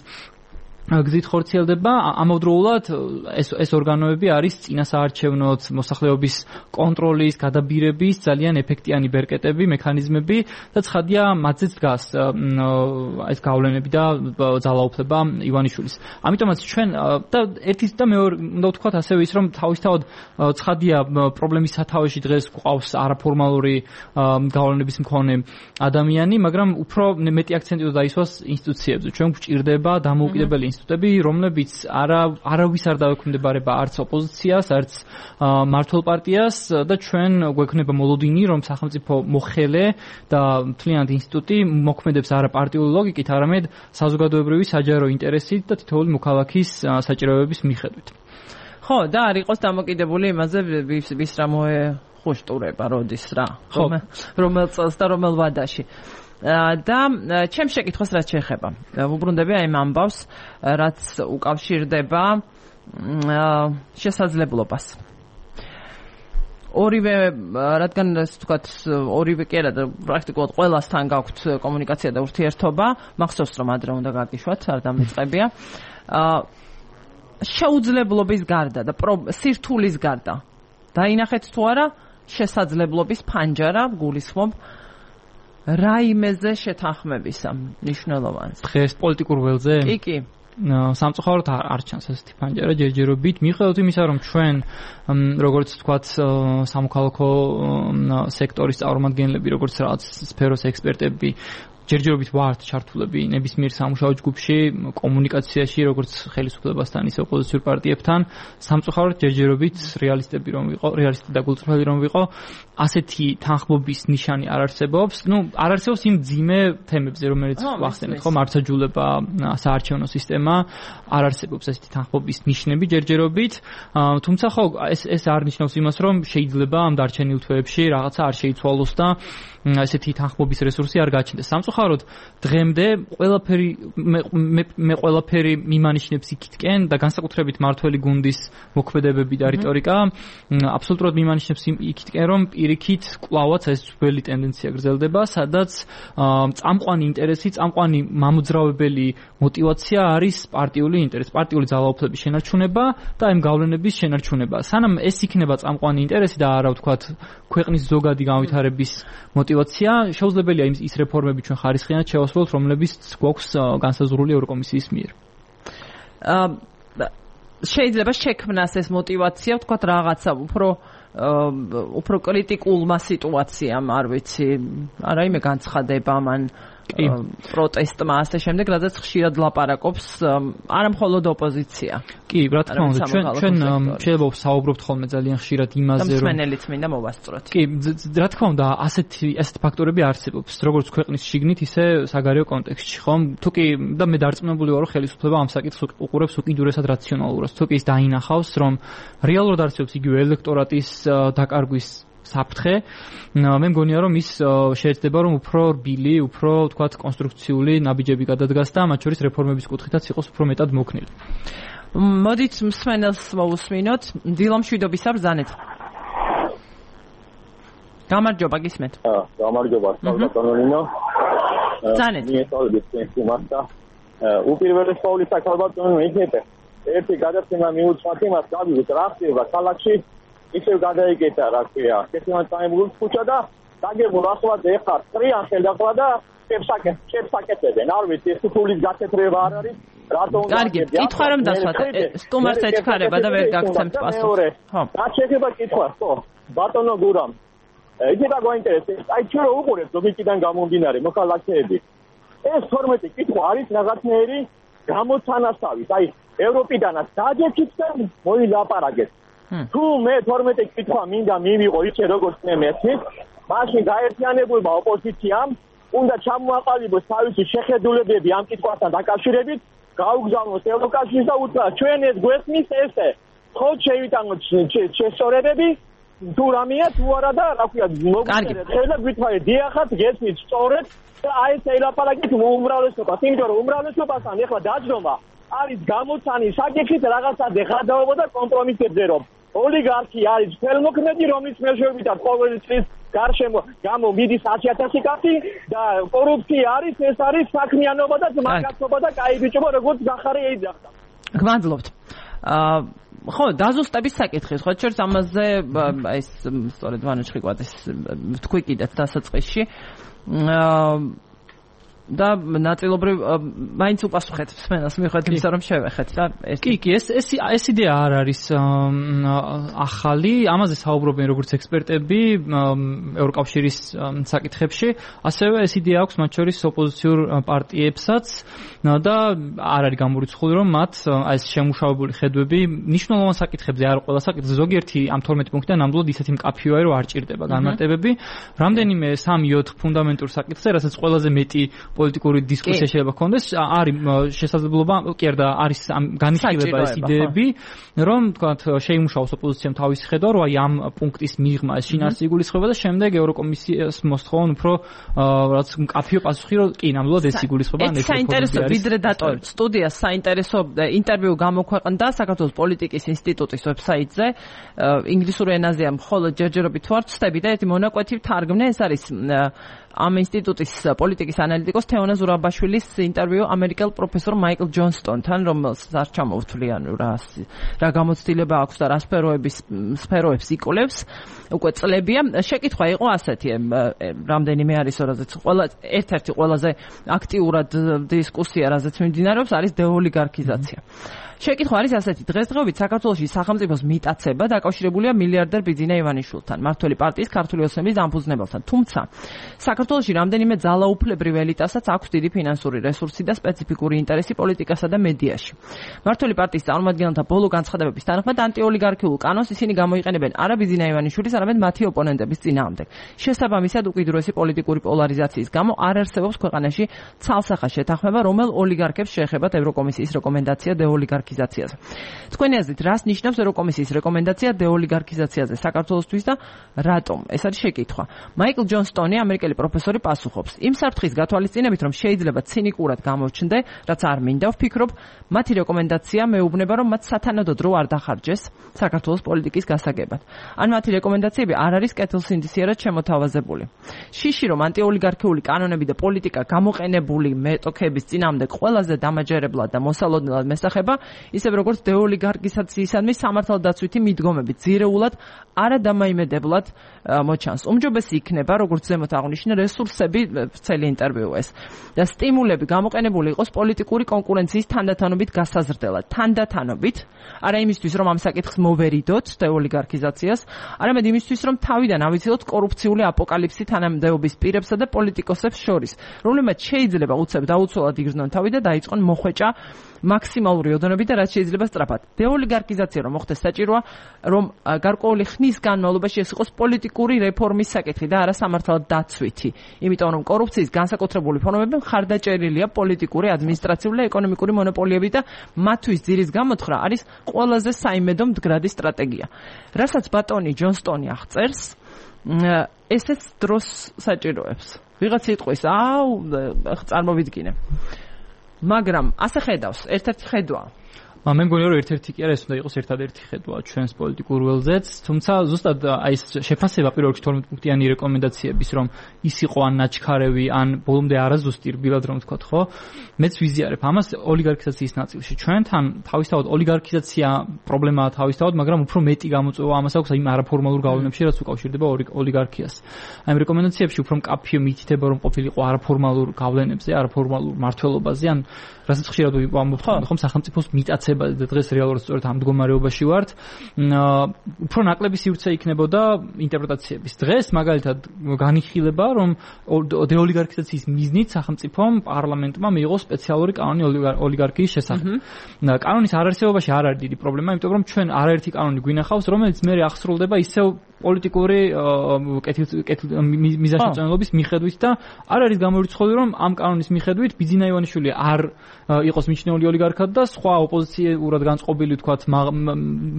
გზით ხორციელდება. ამავდროულად ეს ორგანოები არის წინასაარჩევნო მოსახლეობის კონტროლის, გადაბირების ძალიან ეფექტიანი ბერკეტები, მექანიზმები და ცხადია მათზეც დგას ეს გავლენები და ძალაუფლება ივანიშვილის. ამიტომაც ჩვენ და ერთი და მეორე უნდა ვთქვათ ასევე ის, რომ თავისთავად ცხადია პრობლემის სათავეში დღეს გვყავს არაფორმალური გავლენების მქონე ადამიანი, მაგრამ უფრო მეტი აქცენტი უნდა დაისვას ინსტიტუციებზე. ჩვენ გვჭირდება დამოუკიდებელი ინსტიტუტები, რომლებიც არავის არ დაექვემდებარება არც ოპოზიციას, არც მმართველ პარტიას და ჩვენ გვექნება მოლოდინი, რომ სახელმწიფო მოხელე და მთლიანად ინსტიტუტი მოქმედებს არა პარტიული ლოგიკით, არამედ საზოგადოებრივი საჯარო ინტერესით და თითოეული მოქალაქის საჭიროებების მიხედვით. ხო, და არ იყოს დამოკიდებული იმაზე, ვის რა მოეხუშტურება, როდის რა, რომელ წელს და რომელ ვადაში. და ჩემს შეკითხვას რაც შეეხება. ვუბრუნდები აი ამ ამბავს, რაც უკავშირდება შესაძლებლობას. ორივე, რადგან ასე ვთქვათ, ორივე კი არა და პრაქტიკულად ყველასთან გაქვთ კომუნიკაცია და ურთიერთობა, მახსოვს რომ ადრე უნდა გაგიშვათ, არ დამიწყებია. შეუძლებლობის გარდა და სირთულის გარდა დაინახეთ თუ არა შესაძლებლობის ფანჯარა გულისხმობ რაიმეზე შეთანხმებისა მნიშვნელოვანს. დღეს პოლიტიკურ ველზე? კი. სამწუხაროდ არ ჩანს ასეთი ფანჯარა ჯერჯერობით. მიუხედავად იმისა, რომ ჩვენ როგორც ვთქვათ, სამოქალაქო სექტორის წარმომადგენლები, როგორც რაღაც სფეროს ექსპერტები ჯერჯერობით ვართ ჩართულები ნებისმიერ სამუშაო ჯგუფში, კომუნიკაციაში, როგორც ხელისუფლებასთან, ისე ოპოზიციურ პარტიებთან, სამწუხაროდ ჯერჯერობით რეალისტები და გულწრფელი რომ ვიყო, ასეთი თანხმობის ნიშანი არ არსებობს. არ არსებობს იმ ძიმე თემებზე, რომელიც ვახსენეთ, ხო, მართლმსაჯულება, საარჩევნო სისტემა, არ არსებობს ასეთი თანხმობის ნიშნები ჯერჯერობით. თუმცა ხო, ეს არ ნიშნავს იმას, რომ შეიძლება ამ დარჩენილ თვეებში რაღაცა არ შეიცვალოს და ესეთი თანხმობის რესურსი არ გაჩნდეს. სამწუხაროდ დღემდე ყველაფერი მიმანიშნებს იქითკენ და განსაკუთრებით მართველი გუნდის მოქმედებები და რიტორიკა აბსოლუტურად მიმანიშნებს იქითკენ, რომ პირიქით კვლავაც ეს ძველი ტენდენცია გრძელდება, სადაც წამყვანი ინტერესი, წამყვანი მამოძრავებელი მოტივაცია არის პარტიული ინტერესი, პარტიული ძალაუფლების შენარჩუნება და ამ გავლენების შენარჩუნება. სანამ ეს იქნება წამყვანი ინტერესი და არა ვთქვათ ქვეყნის ზოგადი განვითარების მოტივაცია, შეუძლებელია ის რეფორმები ჩვენ ხარისხიანად შევასრულოთ, რომლებიც გვაქვს განსაზღვრული ევროკომისიის მიერ. შეიძლება შექმნას ეს მოტივაცია, ვთქვათ რაღაცა უფრო კრიტიკულმა სიტუაციამ, არ ვიცი, არა იმე განცხადება მან პროტესტმა ასე შემდეგ, რადგან ხშირად ლაპარაკობს არა მხოლოდ ოპოზიცია. კი, რა თქმა უნდა, ჩვენ შეიძლება საუბრობთ ხოლმე ძალიან ხშირად იმაზე, რომ მსმენელიც მინდა მოვასწროთ. კი, რა თქმა უნდა, ასეთი ფაქტორები არსებობს, როგორც ქვეყნის შიგნით, ისე საგარეო კონტექსტში, ხომ? თუკი და მე დარწმუნებული ვარ, რომ ხელისუფლება ამ საკითხს უყურებს უკიდურესად რაციონალურად. თუკი ის დაინახავს, რომ რეალურად არსებობს იგივე ელექტორატის დაკარგვის საფრთხე, მე მგონია, რომ ის შეეცდება, რომ უფრო რბილი, უფრო ვთქვათ, კონსტრუქციული ნაბიჯები გადადგას და მათ შორის რეფორმების კუთხითაც იყოს უფრო მეტად მოქნილი. მოდით მსმენელს მოვუსმინოთ, დილომშვიდობისა ბრძანეთ. გამარჯობა, გისმენთ. გამარჯობა, ბატონო. ბრძანეთ. მიესალმებით თქვენს და უპირველეს ყოვლისა ბატონო იქნებ ერთი გადაცემა მიუძღვათ იმას, გავიგოთ რა ხდება ქალაქში. ისევ გადაიგეთა, რა ქვია, კეთილად წაიმგულს ქუჩა და დაგებულ ახლა ეხარ წრიან ხელდახლა და შეფსაკეთებენ. არ ვიცი, ეს თulis გაცეთრება არ არის, რატომ უნდა. კარგი, კითხვა რომ დასვათ, სტუმარს ეჩქარება და ვერ გაგცემთ პასუხს. ხო. რა შეიძლება კითხვა, ხო? ბატონო გურამ. იქნება გვაინტერესებს, აი ჩვენ რო უყურებთ ლოგიკიდან გამომდინარე მოქალაქეები. ეს 12 კითხვა არის რაღაცნაირი გამოცანასავით, აი ევროპიდანაც დაჯექით და მოილაპარაკეთ. თუ მე 12 კითხვა მინდა მივიღო ისე როგორც მე მესმის, მაშინ გაერთიანებულმა ოპოზიციამ უნდა ჩამოაყალიბოს თავისი შეხედულებები ამ კითხვასთან დაკავშირებით, გაუგზავნოს ევროკავშირს და უთხრა ჩვენ ეს გვესმის ესე, ხო შევიტანოთ შესწორებები, თუ რამეა თუ არა და რა ქვია მოგწერეთ, ხელა გვითვალე დიახაც გესმის სწორედ და აი ეს ელაპარაკით უმრავლესობას, იმიტომ რომ უმრავლესობასთან ეხლა დაჯდომა არის გამოცანის საკითხით რაღაცაზე ხარდაობა და კომპრომისებზე რომ ოლიგარქი არის ხელმოქმედი, რომელიც მეშვეობითად ყოველი წლის გარშემო გამო მიდის 100,000 კაცი და კორუფცია არის, ეს არის საქმიანობა და ძმაკაცობა და კაი ბიჭობა, როგორც გახარე ეძახდა. გმადლობთ. ხო, დაზუსტების საკითხი, ხო, შორს ამაზე ეს სწორედ ვანო ჩხიკვაძის თქვი კიდეც დასაწყისში. და ნაწილობრივ მაინც უპასუხეთ მსმენელს მიუხედავად იმისა, რომ შევეხეთ და კი, ეს იდეა არ არის ახალი, ამაზე საუბრობენ როგორც ექსპერტები ევროკავშირის საკითხებში, ასევე ეს იდეა აქვს მათ შორის ოპოზიციურ პარტიებსაც და არ არის გამორიცხული, რომ მათ ეს შემუშავებული ხედვები მნიშვნელოვან საკითხებზე, არ ყველა საკითხზე, ზოგიერთი ამ 12 პუნქტიდან ნამდვილად ისეთი მკაფიოა, რომ არ ჭირდება განმარტებები. რამდენიმე 3-4 ფუნდამენტურ საკითხზე, რასაც ყველაზე მეტი პოლიტიკური დისკუსია შეიძლება ჰქონდეს, არის შესაძლებლობა, კი არა, არის განიხილება ეს იდეები, რომ თქვათ შეიმუშაოს ოპოზიციამ თავისი ხედვა, რომ აი ამ პუნქტის მიღმა ეს შინაარსი იგულისხმება და შემდეგ ევროკომისიას მოსთხოვონ უფრო რაც მკაფიო პასუხი, რომ კი ნამდვილად ეს იგულისხმება ან ეს საინტერესო ვიდრე დატოვებთ სტუდიას საინტერესო ინტერვიუ გამოქვეყნდა საქართველოს პოლიტიკის ინსტიტუტის ვებსაიტზე ინგლისურ ენაზეა მხოლოდ ჯერჯერობით ვარ ვწდები და ერთი მონაკვეთი ვთარგმნე ეს არის ამ ინსტიტუტის პოლიტიკის ანალიტიკოს თეონა ზურაბაშვილის ინტერვიუ ამერიკელ პროფესორ მაიკლ ჯონსტონთან რომელსაც არ ჩამოვთვლიან რა გამოცდილება აქვს და რა სფეროებს იკვლევს უკვე წლებია შეკითხვა იყო ასეთი რამდენიმე არის რაზეც ერთ-ერთი ყველაზე აქტიურად დისკუსია რაზეც მიმდინარეობს არის დეოლიგარქიზაცია შეკითხვა არის ასეთი დღესდღეობით საქართველოში სახელმწიფოს მიტაცება დაკავშირებულია მილიარდერ ბიძინა ივანიშვილთან მმართველი პარტიის ქართული ოცნების დამფუძნებელთან თუმცა საქართველოში რამდენიმე ძალაუფლებრივ ელიტასაც აქვს დიდი ფინანსური რესურსი და სპეციფიკური ინტერესი პოლიტიკასა და მედიაში მმართველი პარტიის წარმომადგენელთა ბოლო განცხადებების თანახმად ანტიოლიგარქიულ კანონს ისინი გამოიყენებენ არა ბიძინა ივანიშვილის არამედ მათი ოპონენტების წინააღმდეგ შესაბამისად უკიდურესი პოლიტიკური პოლარიზაციის გამო არ არსებობს ქვეყანაში ცალსახა შეთანხმება რომელ ოლიგარქებს შეეხებათ ევროკომისიის რეკომენდაცია დეოლიგარქიზაციაზე თქვენი აზრით რას ნიშნავს ევროკომისიის რეკომენდაცია დეოლიგარქიზაციაზე საქართველოსთვის და რატომ ეს არის შეკითხვა მაიკლ ჯონსტონი ამერიკელი პროფესორი პასუხობს იმ საფრთხის გათვალისწინებით რომ შეიძლება ცინიკურად გამოჩნდე რაც არ მინდა ვფიქრობ მათი რეკომენდაცია მეუბნება რომ მათ სათანადო დრო არ დახარჯეს საქართველოს პოლიტიკის გასაგებად ან მათი რეკომენდაციები არ არის კეთილსინდისიერად შემოთავაზებული შიში რომ ანტიოლიგარქიული კანონები და პოლიტიკა გამოყენებული მეტოქების წინააღმდეგ ყველაზე დამაჯერებლად და მოსალოდნელად მესახება ისევ როგორც დეოლიგარქიზაციისადმი სამართალდაცვითი მიდგომები ძირეულად არადამაიმედებლად მოჩანს. უმჯობესი იქნება, როგორც ზემოთ აღნიშნე, რესურსები ცელი ინტერვიუ ეს და სტიმულები გამოყენებული იყოს პოლიტიკური კონკურენციის თანდათანობით გასაზრდელად. თანდათანობით, არა იმისთვის, რომ ამ საკითხს მოვერიდოთ დეოლიგარქიზაციას, არამედ იმისთვის, რომ თავიდან ავიცილოთ კორუფციული აპოკალიფსი თანამდებობის პირებსა და პოლიტიკოსებს შორის, რომლებმაც შეიძლება უცებ დაუცველად იგრძნონ თავი და დაიწყონ მოხვეჭა მაქსიმალური ოდენობით და რაც შეიძლება სწრაფად. დეოლიგარქიზაცია რომ მოხდეს საჭიროა, რომ გარკვეული ხნის განმავლობაში ეს იყოს პოლიტიკური რეფორმის საკითხი და არა სამართალდაცვითი. იმიტომ რომ კორუფციის განსაკუთრებული ფორმები მხარდაჭერილია პოლიტიკური, ადმინისტრაციული და ეკონომიკური მონოპოლიები და მათთვის ძირის გამოთხრა არის ყველაზე საიმედო მდგრადი სტრატეგია. რასაც ბატონი ჯონსტონი აღწერს, ესეც დროს საჭიროებს. ვიღაც იტყვის, წარმოვიდგინე. მაგრამ ასე ხედავს, ერთ-ერთი ხედვა. მე მგონია რომ ერთ-ერთი კი არა ეს უნდა იყოს ერთადერთი ხედვა ჩვენს პოლიტიკურ ველზეც, თუმცა ზუსტად აი ეს შეფასება პირველ რიგში 12 პუნქტიანი რეკომენდაციების რომ ის იყო ან ნაჩქარევი, ან ბოლომდე არაზუსტი რბილად რომ ვთქვათ, ხო? მეც ვიზიარებ ამას ოლიგარქიზაციის ნაწილში. ჩვენთან თავისთავად ოლიგარქიზაცია პრობლემაა თავისთავად, მაგრამ უფრო მეტი გამოწვევა ამას აქვს იმ არაფორმალურ გავლენებში, რაც უკავშირდება ოლიგარქიას. აი ამ რეკომენდაციებში უფრო მკაფიო მითითება რომ ყოფილიყო არაფორმალურ გავლენებზე, არაფორმალურ მართლობაზე, ან რასაც ხშირად ვამბობთ, ხომ სახელმწიფოს მიტაცება და დღეს რეალურად სწორედ ამ მდგომარეობაში ვართ. უფრო ნაკლები სივრცე იქნებოდა ინტერპრეტაციების. დღეს მაგალითად განიხილება, რომ დეოლიგარქიზაციის მიზნით სახელმწიფომ პარლამენტმა მიიღო სპეციალური კანონი ოლიგარქიის შესახებ. კანონის არარსებობაში არ არის დიდი პრობლემა, იმიტომ რომ ჩვენ არაერთი კანონი გვინახავს, რომელიც მე აღსრულდება ისევ პოლიტიკური მიზანშეწონილობის მიხედვით და არ არის გამორიცხული რომ ამ კანონის მიხედვით ბიძინა ივანიშვილი არ იყოს მიჩნეული ოლიგარქად და სხვა ოპოზიციურად განწყობილი თქვათ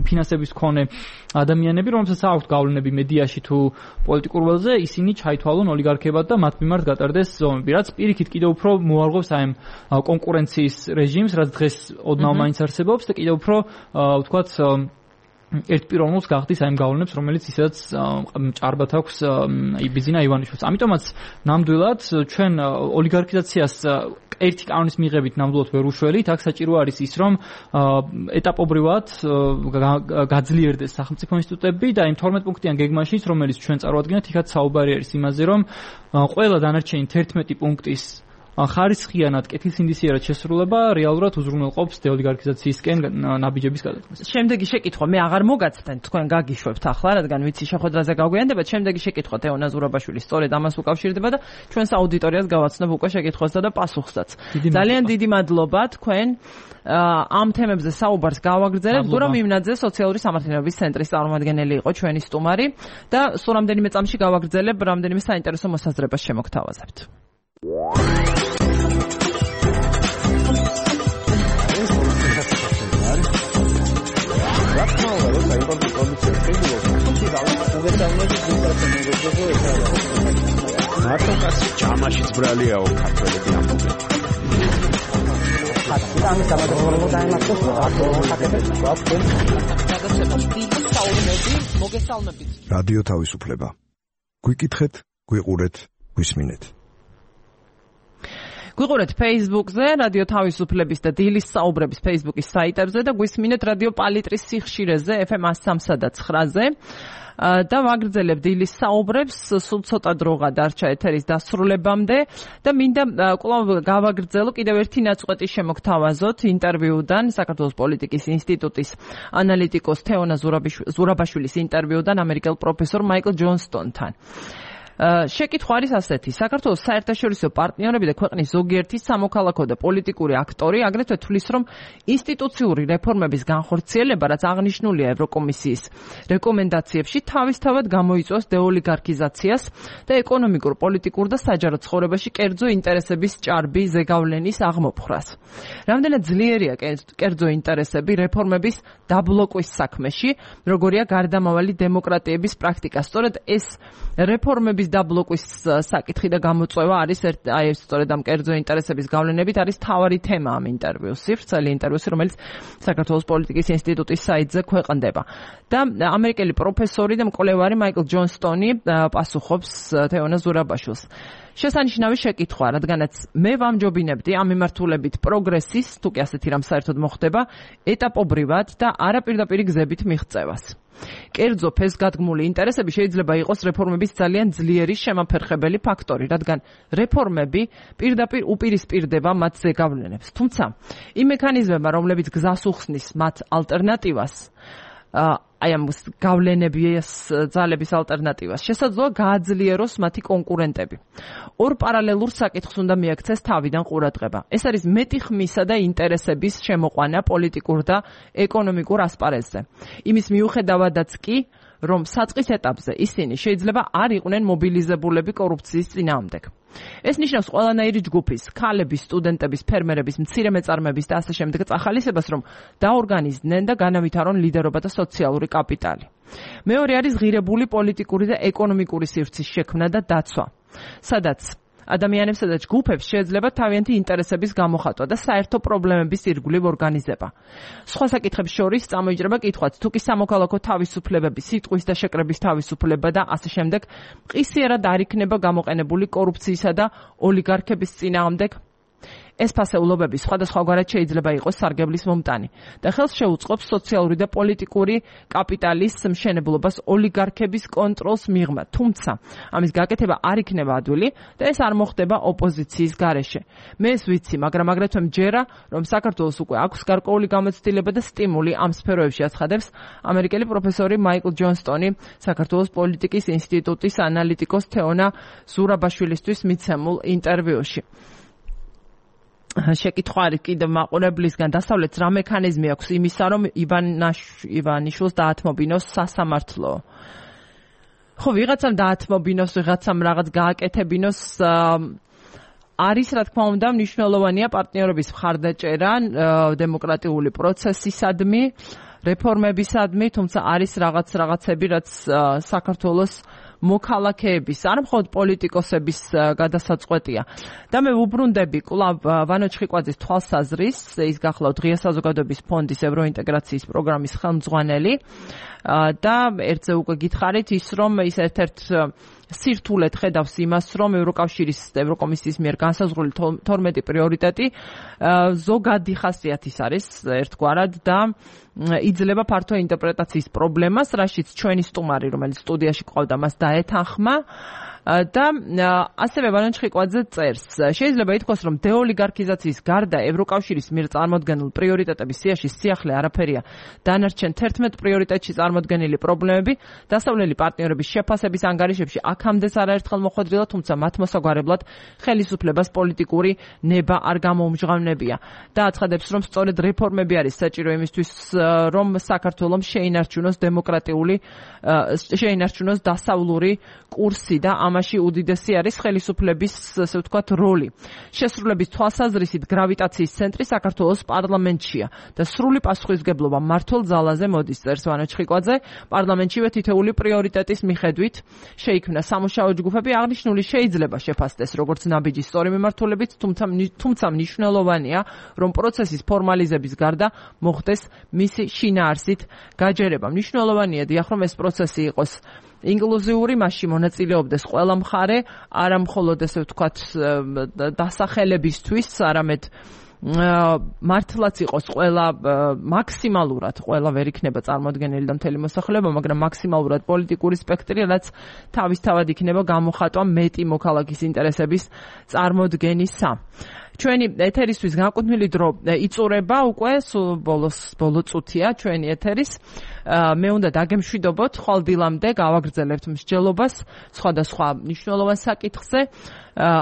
ფინანსების მქონე ადამიანები რომელსაც აქვთ გავლენები მედიაში თუ პოლიტიკურ ველზე ისინი ჩაითვალონ ოლიგარქებად და მათ მიმართ გატარდეს ზომები რაც პირიქით კიდევ უფრო მოარღვევს აი კონკურენციის რეჟიმს რაც დღეს ოდნავ მაინც არსებობს და კიდევ უფრო თქვათ ერთპიროვნულს გახდის აი ამ გავლენებს, რომელიც ისედაც ჭარბად აქვს ბიძინა ივანიშვილს. ამიტომაც ნამდვილად ჩვენ ოლიგარქიზაციას ერთი კანონის მიღებით ნამდვილად ვერ უშველით, აქ საჭირო არის ის, რომ ეტაპობრივად გაძლიერდეს სახელმწიფო ინსტიტუტები და იმ 12 პუნქტიან გეგმაშიც, რომელიც ჩვენ წარვადგენთ, იქაც საუბარი არის იმაზე, რომ ყველა დანარჩენი 11 პუნქტის ხარისხიანად კეთილსინდისიერად შესრულება რეალურად უზრუნველყოფს დეოლიგარქიზაციისკენ ნაბიჯების გადადგმას. შემდეგი შეკითხვა მე აღარ მოგაცდენ, თქვენ გაგიშვებთ ახლა, რადგან ვიცი შეხვედრაზე გაგვიანდებათ. შემდეგი შეკითხვა თეონა ზურაბაშვილი სწორედ ამას უკავშირდება და ჩვენს აუდიტორიას გავაცნობ უკვე შეკითხვასა და პასუხსაც. ძალიან დიდი მადლობა თქვენ ამ თემებზე საუბარს გავაგრძელებთ. გურამ იმნაძე სოციალური სამართლიანობის ცენტრის წარმომადგენელი იყო ჩვენი სტუმარი და სულ რამდენიმე წამში გავაგრძელებ რამდენიმე საინტერესო მოსაზრებას შემოგთავაზებთ. მარტო კაცი ჯამაშიც ბრალიაო ქართველები ამბობენ. რადიო თავისუფლება. გვიკითხეთ, გვიყურეთ, გვისმინეთ. გვიყურეთ Facebook-ზე, რადიო თავისუფლების და დილის საუბრების Facebook-ის საიტებზე და გვისმინეთ რადიო პალიტრის სიხშირეზე FM 103.9-ზე. და ვაგრძელებ დილის საუბრებს, სულ ცოტა დროა დარჩა ეთერის დასრულებამდე და მინდა კვლავ გავაგრძელო კიდევ ერთი ნაწყვეტი შემოგთავაზოთ ინტერვიუდან საქართველოს პოლიტიკის ინსტიტუტის ანალიტიკოს თეონა ზურაბაშვილის ინტერვიუდან ამერიკელ პროფესორ მაიკლ ჯონსტონთან. შეკითხვა არის ასეთი: საქართველოს საერთაშორისო პარტნიორები და ქვეყნის ზოგიერთი სამოქალაქო და პოლიტიკური აქტორი აგრეთვე თვლის, რომ ინსტიტუციური რეფორმების განხორციელება, რაც აღნიშნულია ევროკომისიის რეკომენდაციებში, თავისთავად გამოიწვევს დეოლიგარქიზაციას და ეკონომიკურ, პოლიტიკურ და საჯარო ცხოვრებაში კერძო ინტერესების ჭარბი ზეგავლენის აღმოფხრას. რამდენად ძლიერია კერძო ინტერესები რეფორმების დაბლოკვის საქმეში, როგორია გარდამავალი დემოკრატიების პრაქტიკა. სწორედ ეს რეფორმების დაბლოკვის საკითხი და გამოწვევა არის სწორედ ამ კერძო ინტერესების გავლენებით არის მთავარი თემა ამ ინტერვიუსი, ვრცელი ინტერვიუსი, რომელიც საქართველოს პოლიტიკის ინსტიტუტის საიტზე ქვეყნდება. და ამერიკელი პროფესორი და მკვლევარი მაიკლ ჯონსტონი პასუხობს თეონა ზურაბაშვილს. შესანიშნავი შეკითხვა, რადგანაც მე ვამჯობინებდი ამ მიმართულებით პროგრესის, თუ კი ასეთი რამ საერთოდ მოხდება, ეტაპობრივად და არაპირდაპირი გზებით მიღწევას. კერძო ფესგადგმული ინტერესები შეიძლება იყოს რეფორმების ძალიან ძლიერი შემაფერხებელი ფაქტორი, რადგან რეფორმები პირდაპირ უპირისპირდება მათ ზეგავლენებს. თუმცა, იმ მექანიზმებმა, რომლებიც გზას უხსნის მათ ალტერნატივას, აი ამ გავლენების ძალების ალტერნატივას, შესაძლოა გააძლიეროს მათი კონკურენტები. ორ პარალელურ საკითხს უნდა მიაქცეს თავიდან ყურადღება. ეს არის მეტი ხმისა და ინტერესების შემოყვანა პოლიტიკურ და ეკონომიკურ ასპარეზზე. იმის მიუხედავადაც კი, რომ საწყის ეტაპზე ისინი შეიძლება არ იყვნენ მობილიზებულები კორუფციის წინააღმდეგ. ეს ნიშნავს ყველანაირი ჯგუფის, ქალების, სტუდენტების, ფერმერების, მცირე მეწარმეების და ასე შემდეგ წახალისებას, რომ დაორგანიზდნენ და განავითარონ ლიდერობა და სოციალური კაპიტალი. მეორე არის ღირებული პოლიტიკური და ეკონომიკური სივრცის შექმნა და დაცვა, სადაც ადამიანებსა და ჯგუფებს შეიძლება თავიანთი ინტერესების გამოხატვა და საერთო პრობლემების ირგვლივ ორგანიზება. სხვა საკითხებს შორის წამოიჭრება კითხვაც, თუ კი სამოქალაქო თავისუფლებები, სიტყვის და შეკრების თავისუფლება და ასე შემდეგ მყისიერად არ იქნება გამოყენებული კორუფციისა და ოლიგარქების წინააღმდეგ. ეს ფასეულობები სხვადასხვაგვარად შეიძლება იყოს სარგებლის მომტანი და ხელს შეუწყობს სოციალური და პოლიტიკური კაპიტალის მშენებლობას ოლიგარქების კონტროლს მიღმა. თუმცა, ამის გაკეთება არ იქნება ადვილი და ეს არ მოხდება ოპოზიციის გარეშე. მე ეს ვიცი, მაგრამ აგრეთვე მჯერა, რომ საქართველოს უკვე აქვს გარკვეული გამოცდილება და სტიმული ამ სფეროებში, აცხადებს ამერიკელი პროფესორი მაიკლ ჯონსტონი საქართველოს პოლიტიკის ინსტიტუტის ანალიტიკოს თეონა ზურაბაშვილისთვის მიცემულ ინტერვიუში. შეკითხვა არის კიდევ მაყურებლისგან, დასავლეთს რა მექანიზმი აქვს იმისა, რომ ივანიშვილს დაათმობინოს სასამართლო. ხო, ვიღაცამ დაათმობინოს, ვიღაცამ რაღაც გააკეთებინოს, არის რა თქმა უნდა მნიშვნელოვანია პარტნიორების მხარდაჭერა დემოკრატიული პროცესისადმი, რეფორმებისადმი, თუმცა არის რაღაცები, რაც საქართველოს მოქალაქეების, არ მხოლოდ პოლიტიკოსების გადასაწყვეტია. და მე ვუბრუნდები კვლავ ვანო ჩხიკვაძის თვალსაზრის, ის გახლავთ ღია საზოგადოების ფონდის ევროინტეგრაციის პროგრამის ხელმძღვანელი და ერთზე უკვე გითხარით ის, რომ ის ერთ-ერთ სირთულედ ხედავს იმას, რომ ევროკომისიის მიერ განსაზღვრული 12 პრიორიტეტი ზოგადი ხასიათის არის ერთგვარად და იძლევა ფართო ინტერპრეტაციის პრობლემას, რაშიც ჩვენი სტუმარი, რომელიც სტუდიაში ყავდა, მას დაეთანხმა და ასევე ვანო ჩხიკვაძე წერს. შეიძლება ითქვას, რომ დეოლიგარქიზაციის გარდა ევროკავშირის მიერ წარმოდგენილ პრიორიტეტების სიაში სიახლე არაფერია. დანარჩენ 11 პრიორიტეტში წარმოდგენილი პრობლემები დასავლელი პარტნიორების შეფასების ანგარიშებში აქამდეც არაერთხელ მოხვედრილა, თუმცა მათ მოსაგვარებლად ხელისუფლებას პოლიტიკური ნება არ გამოუმჟღავნებია. და აცხადებს, რომ სწორედ რეფორმები არის საჭირო იმისთვის, რომ საქართველოს შეინარჩუნოს დასავლური კურსი და ამ ამაში უდიდესი არის ხელისუფლების, ასე ვთქვათ, როლი. შესრულების თვალსაზრისით გრავიტაციის ცენტრი საქართველოს პარლამენტშია და სრული პასუხისმგებლობა მმართველ ძალაზე მოდის, წერს ვანო ჩხიკვაძე. პარლამენტშივე თითეული პრიორიტეტის მიხედვით შეიქმნა სამუშაო ჯგუფები. აღნიშნული შეიძლება შეფასდეს როგორც ნაბიჯი სწორი მიმართულებით, თუმცა მნიშვნელოვანია, რომ პროცესის ფორმალიზების გარდა მოხდეს მისი შინაარსით გაჯერება. მნიშვნელოვანია დიახ, რომ ეს პროცესი იყოს ინკლუზიური, მასში მონაწილეობდეს ყველა მხარე, არა მხოლოდ ესე ვთქვათ დასახელებისთვის, არამედ მართლაც იყოს ყველა მაქსიმალურად ყველა ვერ იქნება წარმოადგენელი და მთელი მოსახლეობა, მაგრამ მაქსიმალურად პოლიტიკური სპექტრი, რაც თავისთავად იქნება გამოხატვა მეტი მოქალაქის ინტერესების წარმოდგენისა. ჩვენი ეთერისთვის განკუთვნილი დრო იწურება უკვე ბოლო წუთია ჩვენი ეთერის. მე უნდა დაგემშვიდობოთ, ხვალ დილამდე გავაგრძელებთ მსჯელობას სხვადასხვა მნიშვნელოვან საკითხზე.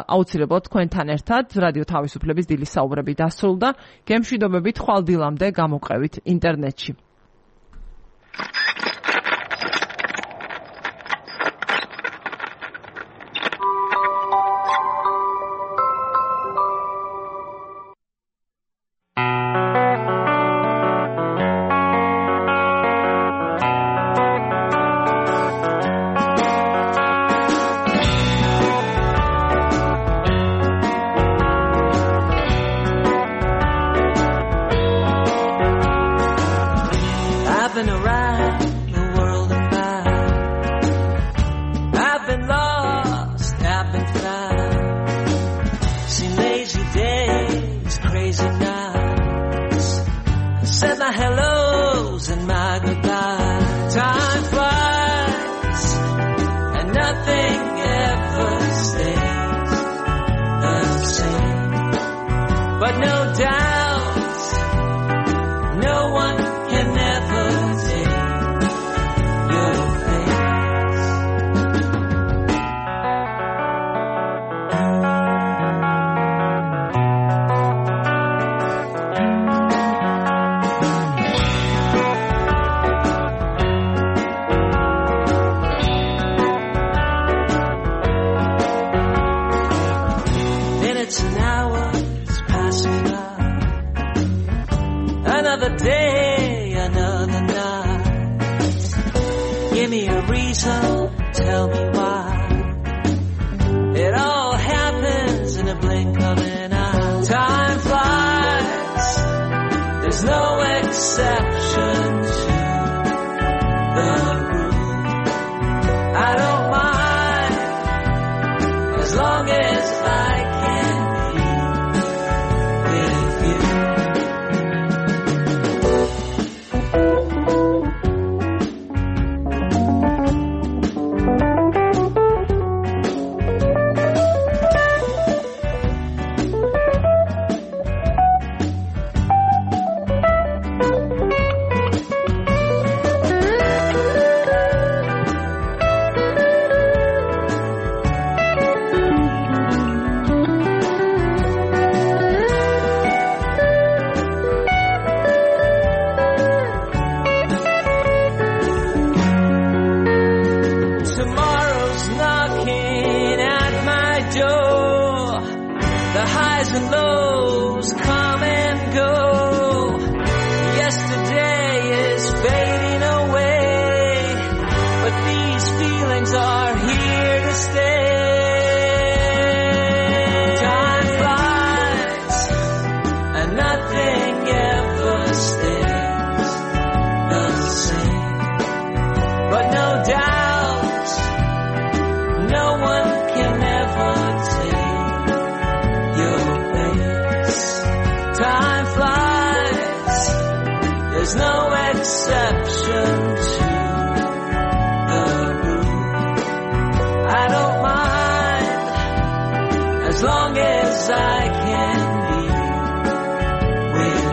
აუცილებლად თქვენთან ერთად რადიო თავისუფლების დილის საუბრები დასრულდა. გემშვიდობებით, ხვალ დილამდე გამოყევით ინტერნეტში. As long as I can be with